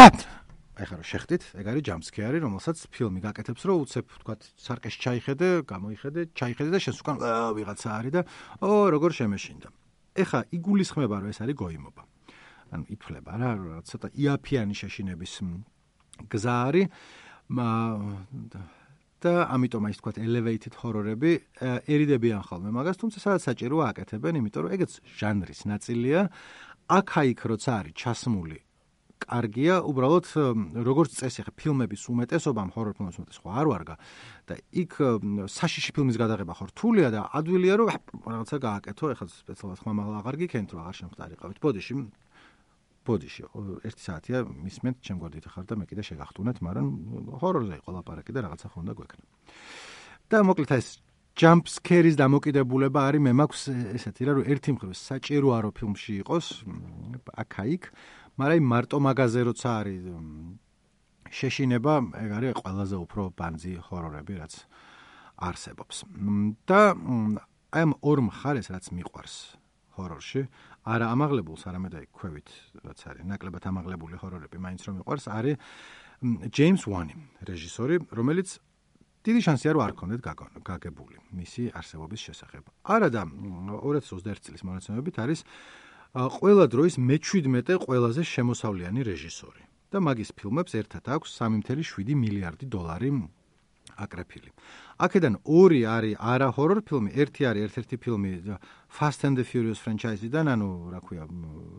ეხლა რომ შეხტით, ეგ არის jump scare, რომელსაც ფილმი გაკეთებს, რომ უცებ თქვათ სარკეში ჩაიხედე, გამოიხედე, ჩაიხედე და შენს უკან ვიღაცა არის და ო როგორ შემეშინდა. ეხლა იგულისხმება, რომ ეს არის გოიმობა. ანუ ითვლება რა, ცოტა იაფიანი შეშინების გზა არის. და ამიტომ აი თქვათ elevated horror-ები ერიდებიან ხოლმე მაგას, თუმცა სადაც საჭიროა აკეთებენ, იმიტომ რომ ეგეც ჟანრის ნაწილია. აქა-იქ როცა არის ჩასმული, კარგია, უბრალოდ როგორც წესი, ხა ფილმების უმეტესობამ, horror ფილმების უმეტესობა არ ვარგა და იქ საშიში ფილმის გადაღება ხო რთულია და ადვილია რომ რაღაცა გააკეთო, ეხლა სპეციალურად ხმამაღლა აღარ გიქენთ, რომ აღარ შემხდარიყავით. ბოდიში ბოდიში ერთი საათია მისმენთ, ჩემ გვერდით ხარ და მე კიდე შეგახტუნეთ, მაგრამ ჰორორზე იყო ლაპარაკი და რაღაცა ხონდა გვექნა. და მოკლედ ეს jump scare-ის დამოკიდებულება არის, მე მაქვს ესეთი რა, რომ ერთი მხრივ საჭიროა რომ ფილმში იყოს, აქა-იქ, მაგრამ მარტო მაგაზე როცა არის შეშინება, ეგ არის ყველაზე უფრო ბანძი ჰორორები, რაც არსებობს. და აი ამ ორ მხარეს რაც მიყვარს ჰორორში, არა ამაღლებულს, არამედ აი ქვევით, რაც არის ნაკლებად ამაღლებული ჰორორები, მაინც რომ მიყვარს, არის James Wan-ი, რეჟისორი, რომელიც დიდი შანსია რომ არ ქონდეთ გაგებული მისი არსებობის შესახებ. არა და ორი ათას ოცდაერთი წლის მონაცემებით არის ყველა დროის მეჩვიდმეტე ყველაზე შემოსავლიანი რეჟისორი. და მაგის ფილმებს ერთად აქვს სამი წუთი შვიდი მილიარდი დოლარი აკრეფილი. აქედან ორი არის არა ჰორორ ფილმი, ერთი არის ერთ-ერთი ფილმი Fast and the Furious franchise-დან, ანუ რა ქვია,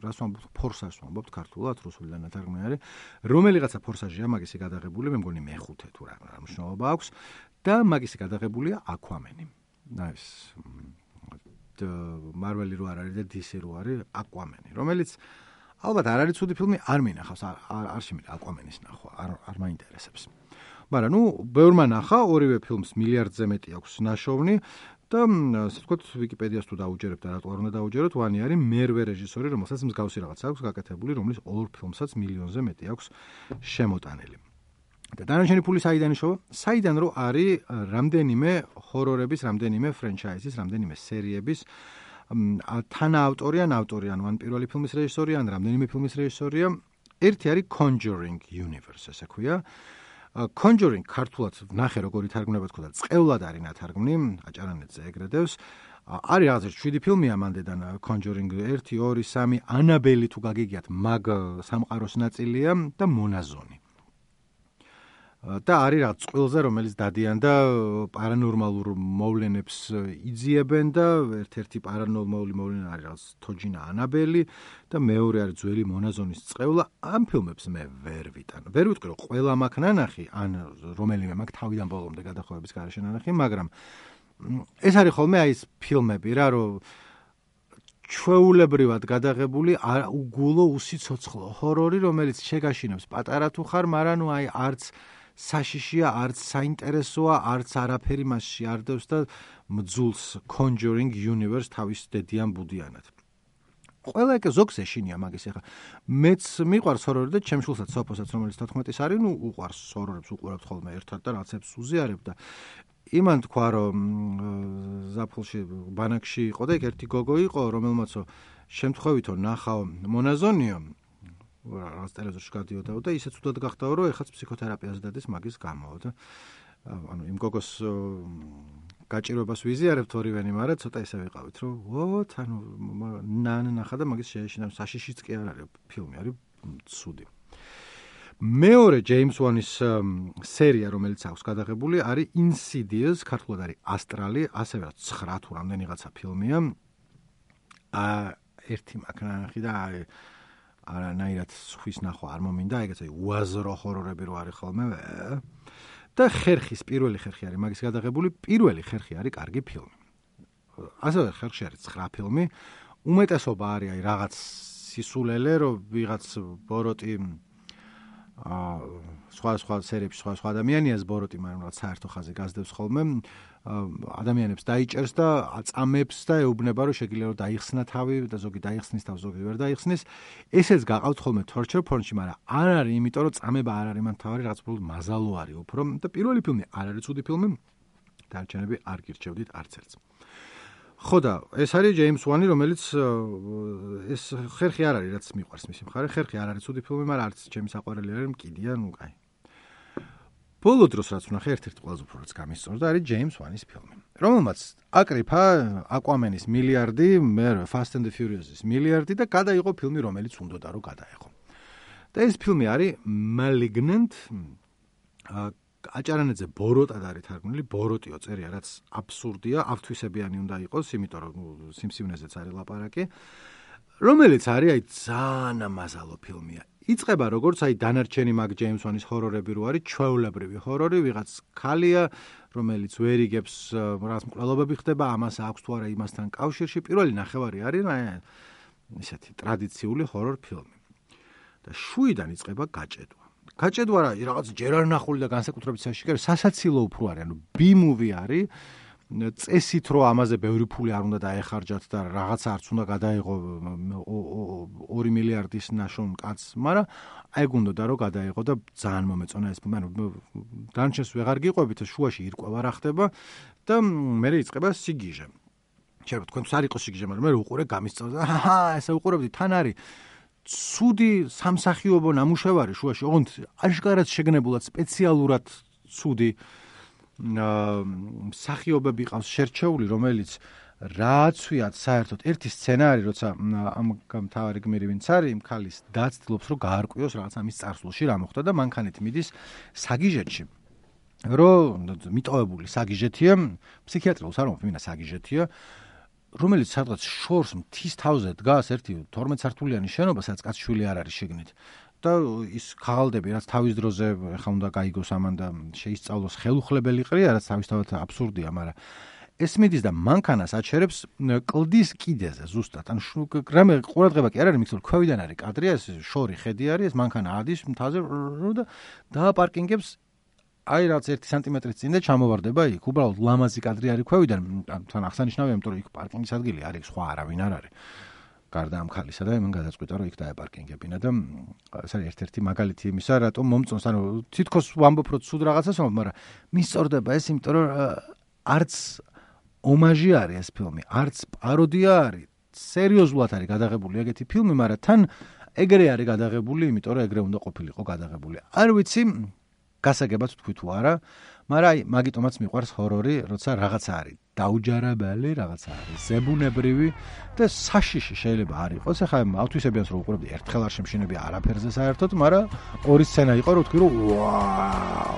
რას ვამბობთ, ფორსაჟს ვამბობთ ქართულად, რუსულიდან ნათარგმნი არის, რომელიღაცა ფორსაჟია მაგისი გადაღებული, მე მგონი მეხუთე თუ რა მნიშვნელობა აქვს და მაგისი გადაღებულია Aquaman-ი. ეს Marvel-ი რო არ არის და D C რო არის Aquaman-ი, რომელიც ალბათ არ არის ცუდი ფილმი, არ მინახავს, არ არ შემიძლია Aquaman-ის ნახვა, არ არ მაინტერესებს. მაგრამ ნუ ბევრმა ნახა, ორივე ფილმს მილიარდზე მეტი აქვს ნაშოვნი და ასე ვთქვათ, ვიკიპედიას თუ დაუჯერებ და რატო არ უნდა დაუჯეროთ, ვანი არის მერვე რეჟისორი, რომელსაც მსგავსი რაღაც აქვს გაკეთებული, რომლის ორ ფილმსაც მილიონზე მეტი აქვს შემოტანილი. და დანარჩენი ფული საიდან იშოვა? საიდან რო არის რამდენიმე ჰორორების, რამდენიმე ფრენჩაიზის, რამდენიმე სერიების თანაავტორი ან ავტორი, ან ან პირველი ფილმის რეჟისორი, ან რამდენიმე ფილმის რეჟისორია. ერთი არის Conjuring Universe, ესე ქვია. Conjuring ქართულად ნახე როგორ ითარგმნება თქო და წყევლად არის ნათარგმნი, აჭარანეთზე ეგრედევს. არის რაღაცა შვიდი ფილმია მანდედან Conjuring ერთი, ორი, სამი, Annabelle თუ გაგიგიათ, მაგ სამყაროს ნაწილია და მონაზონი. და არის რაღაც წყვილზე, რომელიც დადიან და პარანორმალურ მოვლენებს იძიებენ და ერთ-ერთი პარანორმალური მოვლენა არის რაღაც თოჯინა ანაბელი და მეორე არის ძველი მონაზონის წყევლა. ამ ფილმებს მე ვერ ვიტან. ვერ ვიტყვი რომ ყველა მაქვს ნანახი, ან რომელიმე მაქვს თავიდან ბოლომდე გადახოვების გარეშე ნანახი, მაგრამ ეს არის ხოლმე აი ეს ფილმები რა, რომ ჩვეულებრივად გადაღებული უგულო უსიცოცხლო ჰორორი, რომელიც შეგაშინებს პატარა თუ ხარ, მაგრამ ნუ აი არც საშიშია, არც საინტერესოა, არც არაფერი მასში არ დევს და მძულს Conjuring Universe თავის დედიან ბუდიანად. ყველა ეგ ზოგს ეშინია მაგის ახლა. მეც მიყვარს ჰორორი და ჩემ შულსაც სოფოსაც, რომელიც თოთხმეტის არის, ნუ უყვარს ჰორორებს, უყურებთ ხოლმე ერთად და რაღაცებს უზიარებ და იმან თქვა რომ ზაფხულში ბანაკში იყო და ერთი გოგო იყო, რომელმაცო შემთხვევითო ნახავ მონაზონიო რაღაც ტელევიზორში გადიოდა და ისე ცუდად გახდაო, რომ ეხაც ფსიქოთერაპიას დადის მაგის გამო და ანუ იმ გოგოს გაჭირვებას ვიზიარებთ ორივენი, მაგრამ ცოტა ისე ვიყავით, რომ ვოთ, ანუ ნან ნახა და მაგის შეეშინა, საშიშიც კი არ არის, ფილმი არის ცუდი. მეორე ჯეიმს ვანის სერია, რომელიც აქვს გადაღებული, არის Insidious, ქართულად არის ასტრალი, ასევე ცხრა თუ რამდენიღაცა ფილმია. აა ერთი მაგნახი და არანაირად სხვის ნახვა არ მომინდა, ეგეც აი უაზრო ჰორორები რო არის ხოლმე. და ხერხის პირველი ხერხი არის მაგის გადაღებული, პირველი ხერხი არის კარგი ფილმი. ასევე ხერხში არის ცხრა ფილმი, უმეტესობა არის აი რაღაც სისულელე, რომ ვიღაც ბოროტი აა სხვა სხვა სერიებში სხვა სხვა ადამიანიას ბოროტი, მაგრამ რაღაც საერთო ხაზი გაზდევს ხოლმე, ადამიანებს დაიჭერს და აწამებს და ეუბნება, რომ შეგიძლია რომ დაიხსნა თავი და ზოგი დაიხსნის თავი, ზოგი ვერ დაიხსნის. ესეც გაყავთ ხოლმე torture porn-ში, მაგრამ არ არის, იმიტომ რომ წამება არ არის მან თავი, რაღაც უბრალოდ მაზალო არის უფრო და პირველი ფილმი არ არის ცუდი ფილმი, დარჩენები არ გირჩევდით არც ერთს. ხო და ეს არის ჯეიმს ვანი, რომელიც ეს ხერხი არ არის, რაც მიყვარს მისი მხარე, ხერხი არ არის ცუდი ფილმი, მაგრამ არც ჩემი საყვარელი არის, მკიდია, ნუ კაი. ბოლო დროს რაც ვნახე, ერთ-ერთი ყველაზე უფრო რაც გამისწორდა, არის ჯეიმს ვანის ფილმი, რომელმაც აკრიფა აკვამენის მილიარდი, მე Fast and the Furious-ის მილიარდი და გადაიღო ფილმი, რომელიც უნდოდა რომ გადაეღო. და ეს ფილმი არის Malignant, აჭარანაძე ბოროტად არის თარგმნილი, ბოროტიო წერია, რაც აბსურდია, ავთვისებიანი უნდა იყოს, იმიტომ რომ სიმსივნეზეც არის ლაპარაკი, რომელიც არის აი ძალიან ამაზალო ფილმია. იწყება როგორც აი დანარჩენი მაგ ჯეიმს ვანის ჰორორები რო არის, ჩვეულებრივი ჰორორი, ვიღაც ქალია, რომელიც ვერ იგებს რაღაც მკვლელობები ხდება, ამას აქვს თუ არა იმასთან კავშირში. პირველი ნახევარი არის ისეთი ტრადიციული ჰორორ ფილმი. და შუიდან იწყება გაჭედვა. გაჭედვა რა, რაღაც ჯერ არ ნახული და განსაკუთრებით საშიკარი, სასაცილო უფრო არის, ანუ B-movie არის. წესით რომ ამაზე ბევრი ფული არ უნდა დაეხარჯათ და რაღაცა არც უნდა გადაიღო ორი მილიარდის ნაშონ კაცს, მაგრამ აი გუნდოდა რომ გადაიღო და ძალიან მომეწონა ეს ფილმი. ანუ დანჩენს ვეღარ გიყვებით, შუაში ირკვევა რა ხდება და მერე იწყება სიგიჟე. შეიძლება თქვენს არ იყოს სიგიჟე, მაგრამ მე უყურე გამისწორდა. აჰა, ესე უყურებდი, თან არის ცუდი სამსახიობო ნამუშევარი შუაში, ოღონდ აშკარად შეგნებულად სპეციალურად ცუდი მსახიობები ყავს შერჩეული, რომელიც რააცვიათ საერთოდ ერთი სცენარი, როცა ამ გამთავარი გმირი ვინც არის, იმ ქალის დაცდილობს, რომ გაარკვიოს რაღაც ამის წარსულში რა მოხდა და მანქანით მიდის საგიჟეთში. რომ მიტოვებული საგიჟეთია, ფსიქიატრიულს არ მომფინა საგიჟეთია, რომელიც სადღაც შორს მთის თავზე დგას ერთი თორმეტ სართულიანი შენობა, სადაც კაცშვილი არ არის შიგნით. და ის ქაღალდები, რაც თავის დროზე ხა უნდა გაიგოს ამან და შეისწავლოს ხელუხლებელი ყრია, რაც თავისთავად აბსურდია, მაგრამ ეს მიდის და მანქანას აჩერებს კლდის კიდეზე ზუსტად. ანუ რამე ყურადღება კი არ არის, მიქცევ ქვევიდან არის კადრია, ეს შორი ხედი არის, ეს მანქანა ადის მთაზე და დააპარკინგებს აი რაც ერთი სანტიმეტრის წინ და ჩამოვარდება იქ. უბრალოდ ლამაზი კადრი არის ქვევიდან, თან აღსანიშნავია, იმიტომ რომ იქ პარკინგის ადგილი არის, სხვა არავინ არ არის. გარდა ამ ქალისა და იმან გადაწყვიტა რომ იქ დაეპარკინგებინა და ეს არის ერთ-ერთი მაგალითი იმისა, რატომ მომწონს, ანუ თითქოს ვამბობ რომ ცუდ რაღაცას ვამბობ, მაგრამ მისწორდება ეს, იმიტომ რომ არც ომაჟი არის ეს ფილმი, არც პაროდია არის, სერიოზულად არის გადაღებული ეგეთი ფილმი, მაგრამ თან ეგრე არის გადაღებული, იმიტომ რომ ეგრე უნდა ყოფილიყო გადაღებული. არ ვიცი გასაგებად თქვი თუ არა, მაგრამ აი მაგიტომაც მიყვარს ჰორორი, როცა რაღაცა არის დაუჯარებელი, რაღაცა არის ზებუნებრივი და საშიში შეიძლება არ იყოს. ახლა ავთვისებიანს რო უყურებდი, ერთხელ არ შემშინები არაფერზე საერთოდ, მაგრამ ორი სცენა იყო, რომ თქვი რომ ვაუ,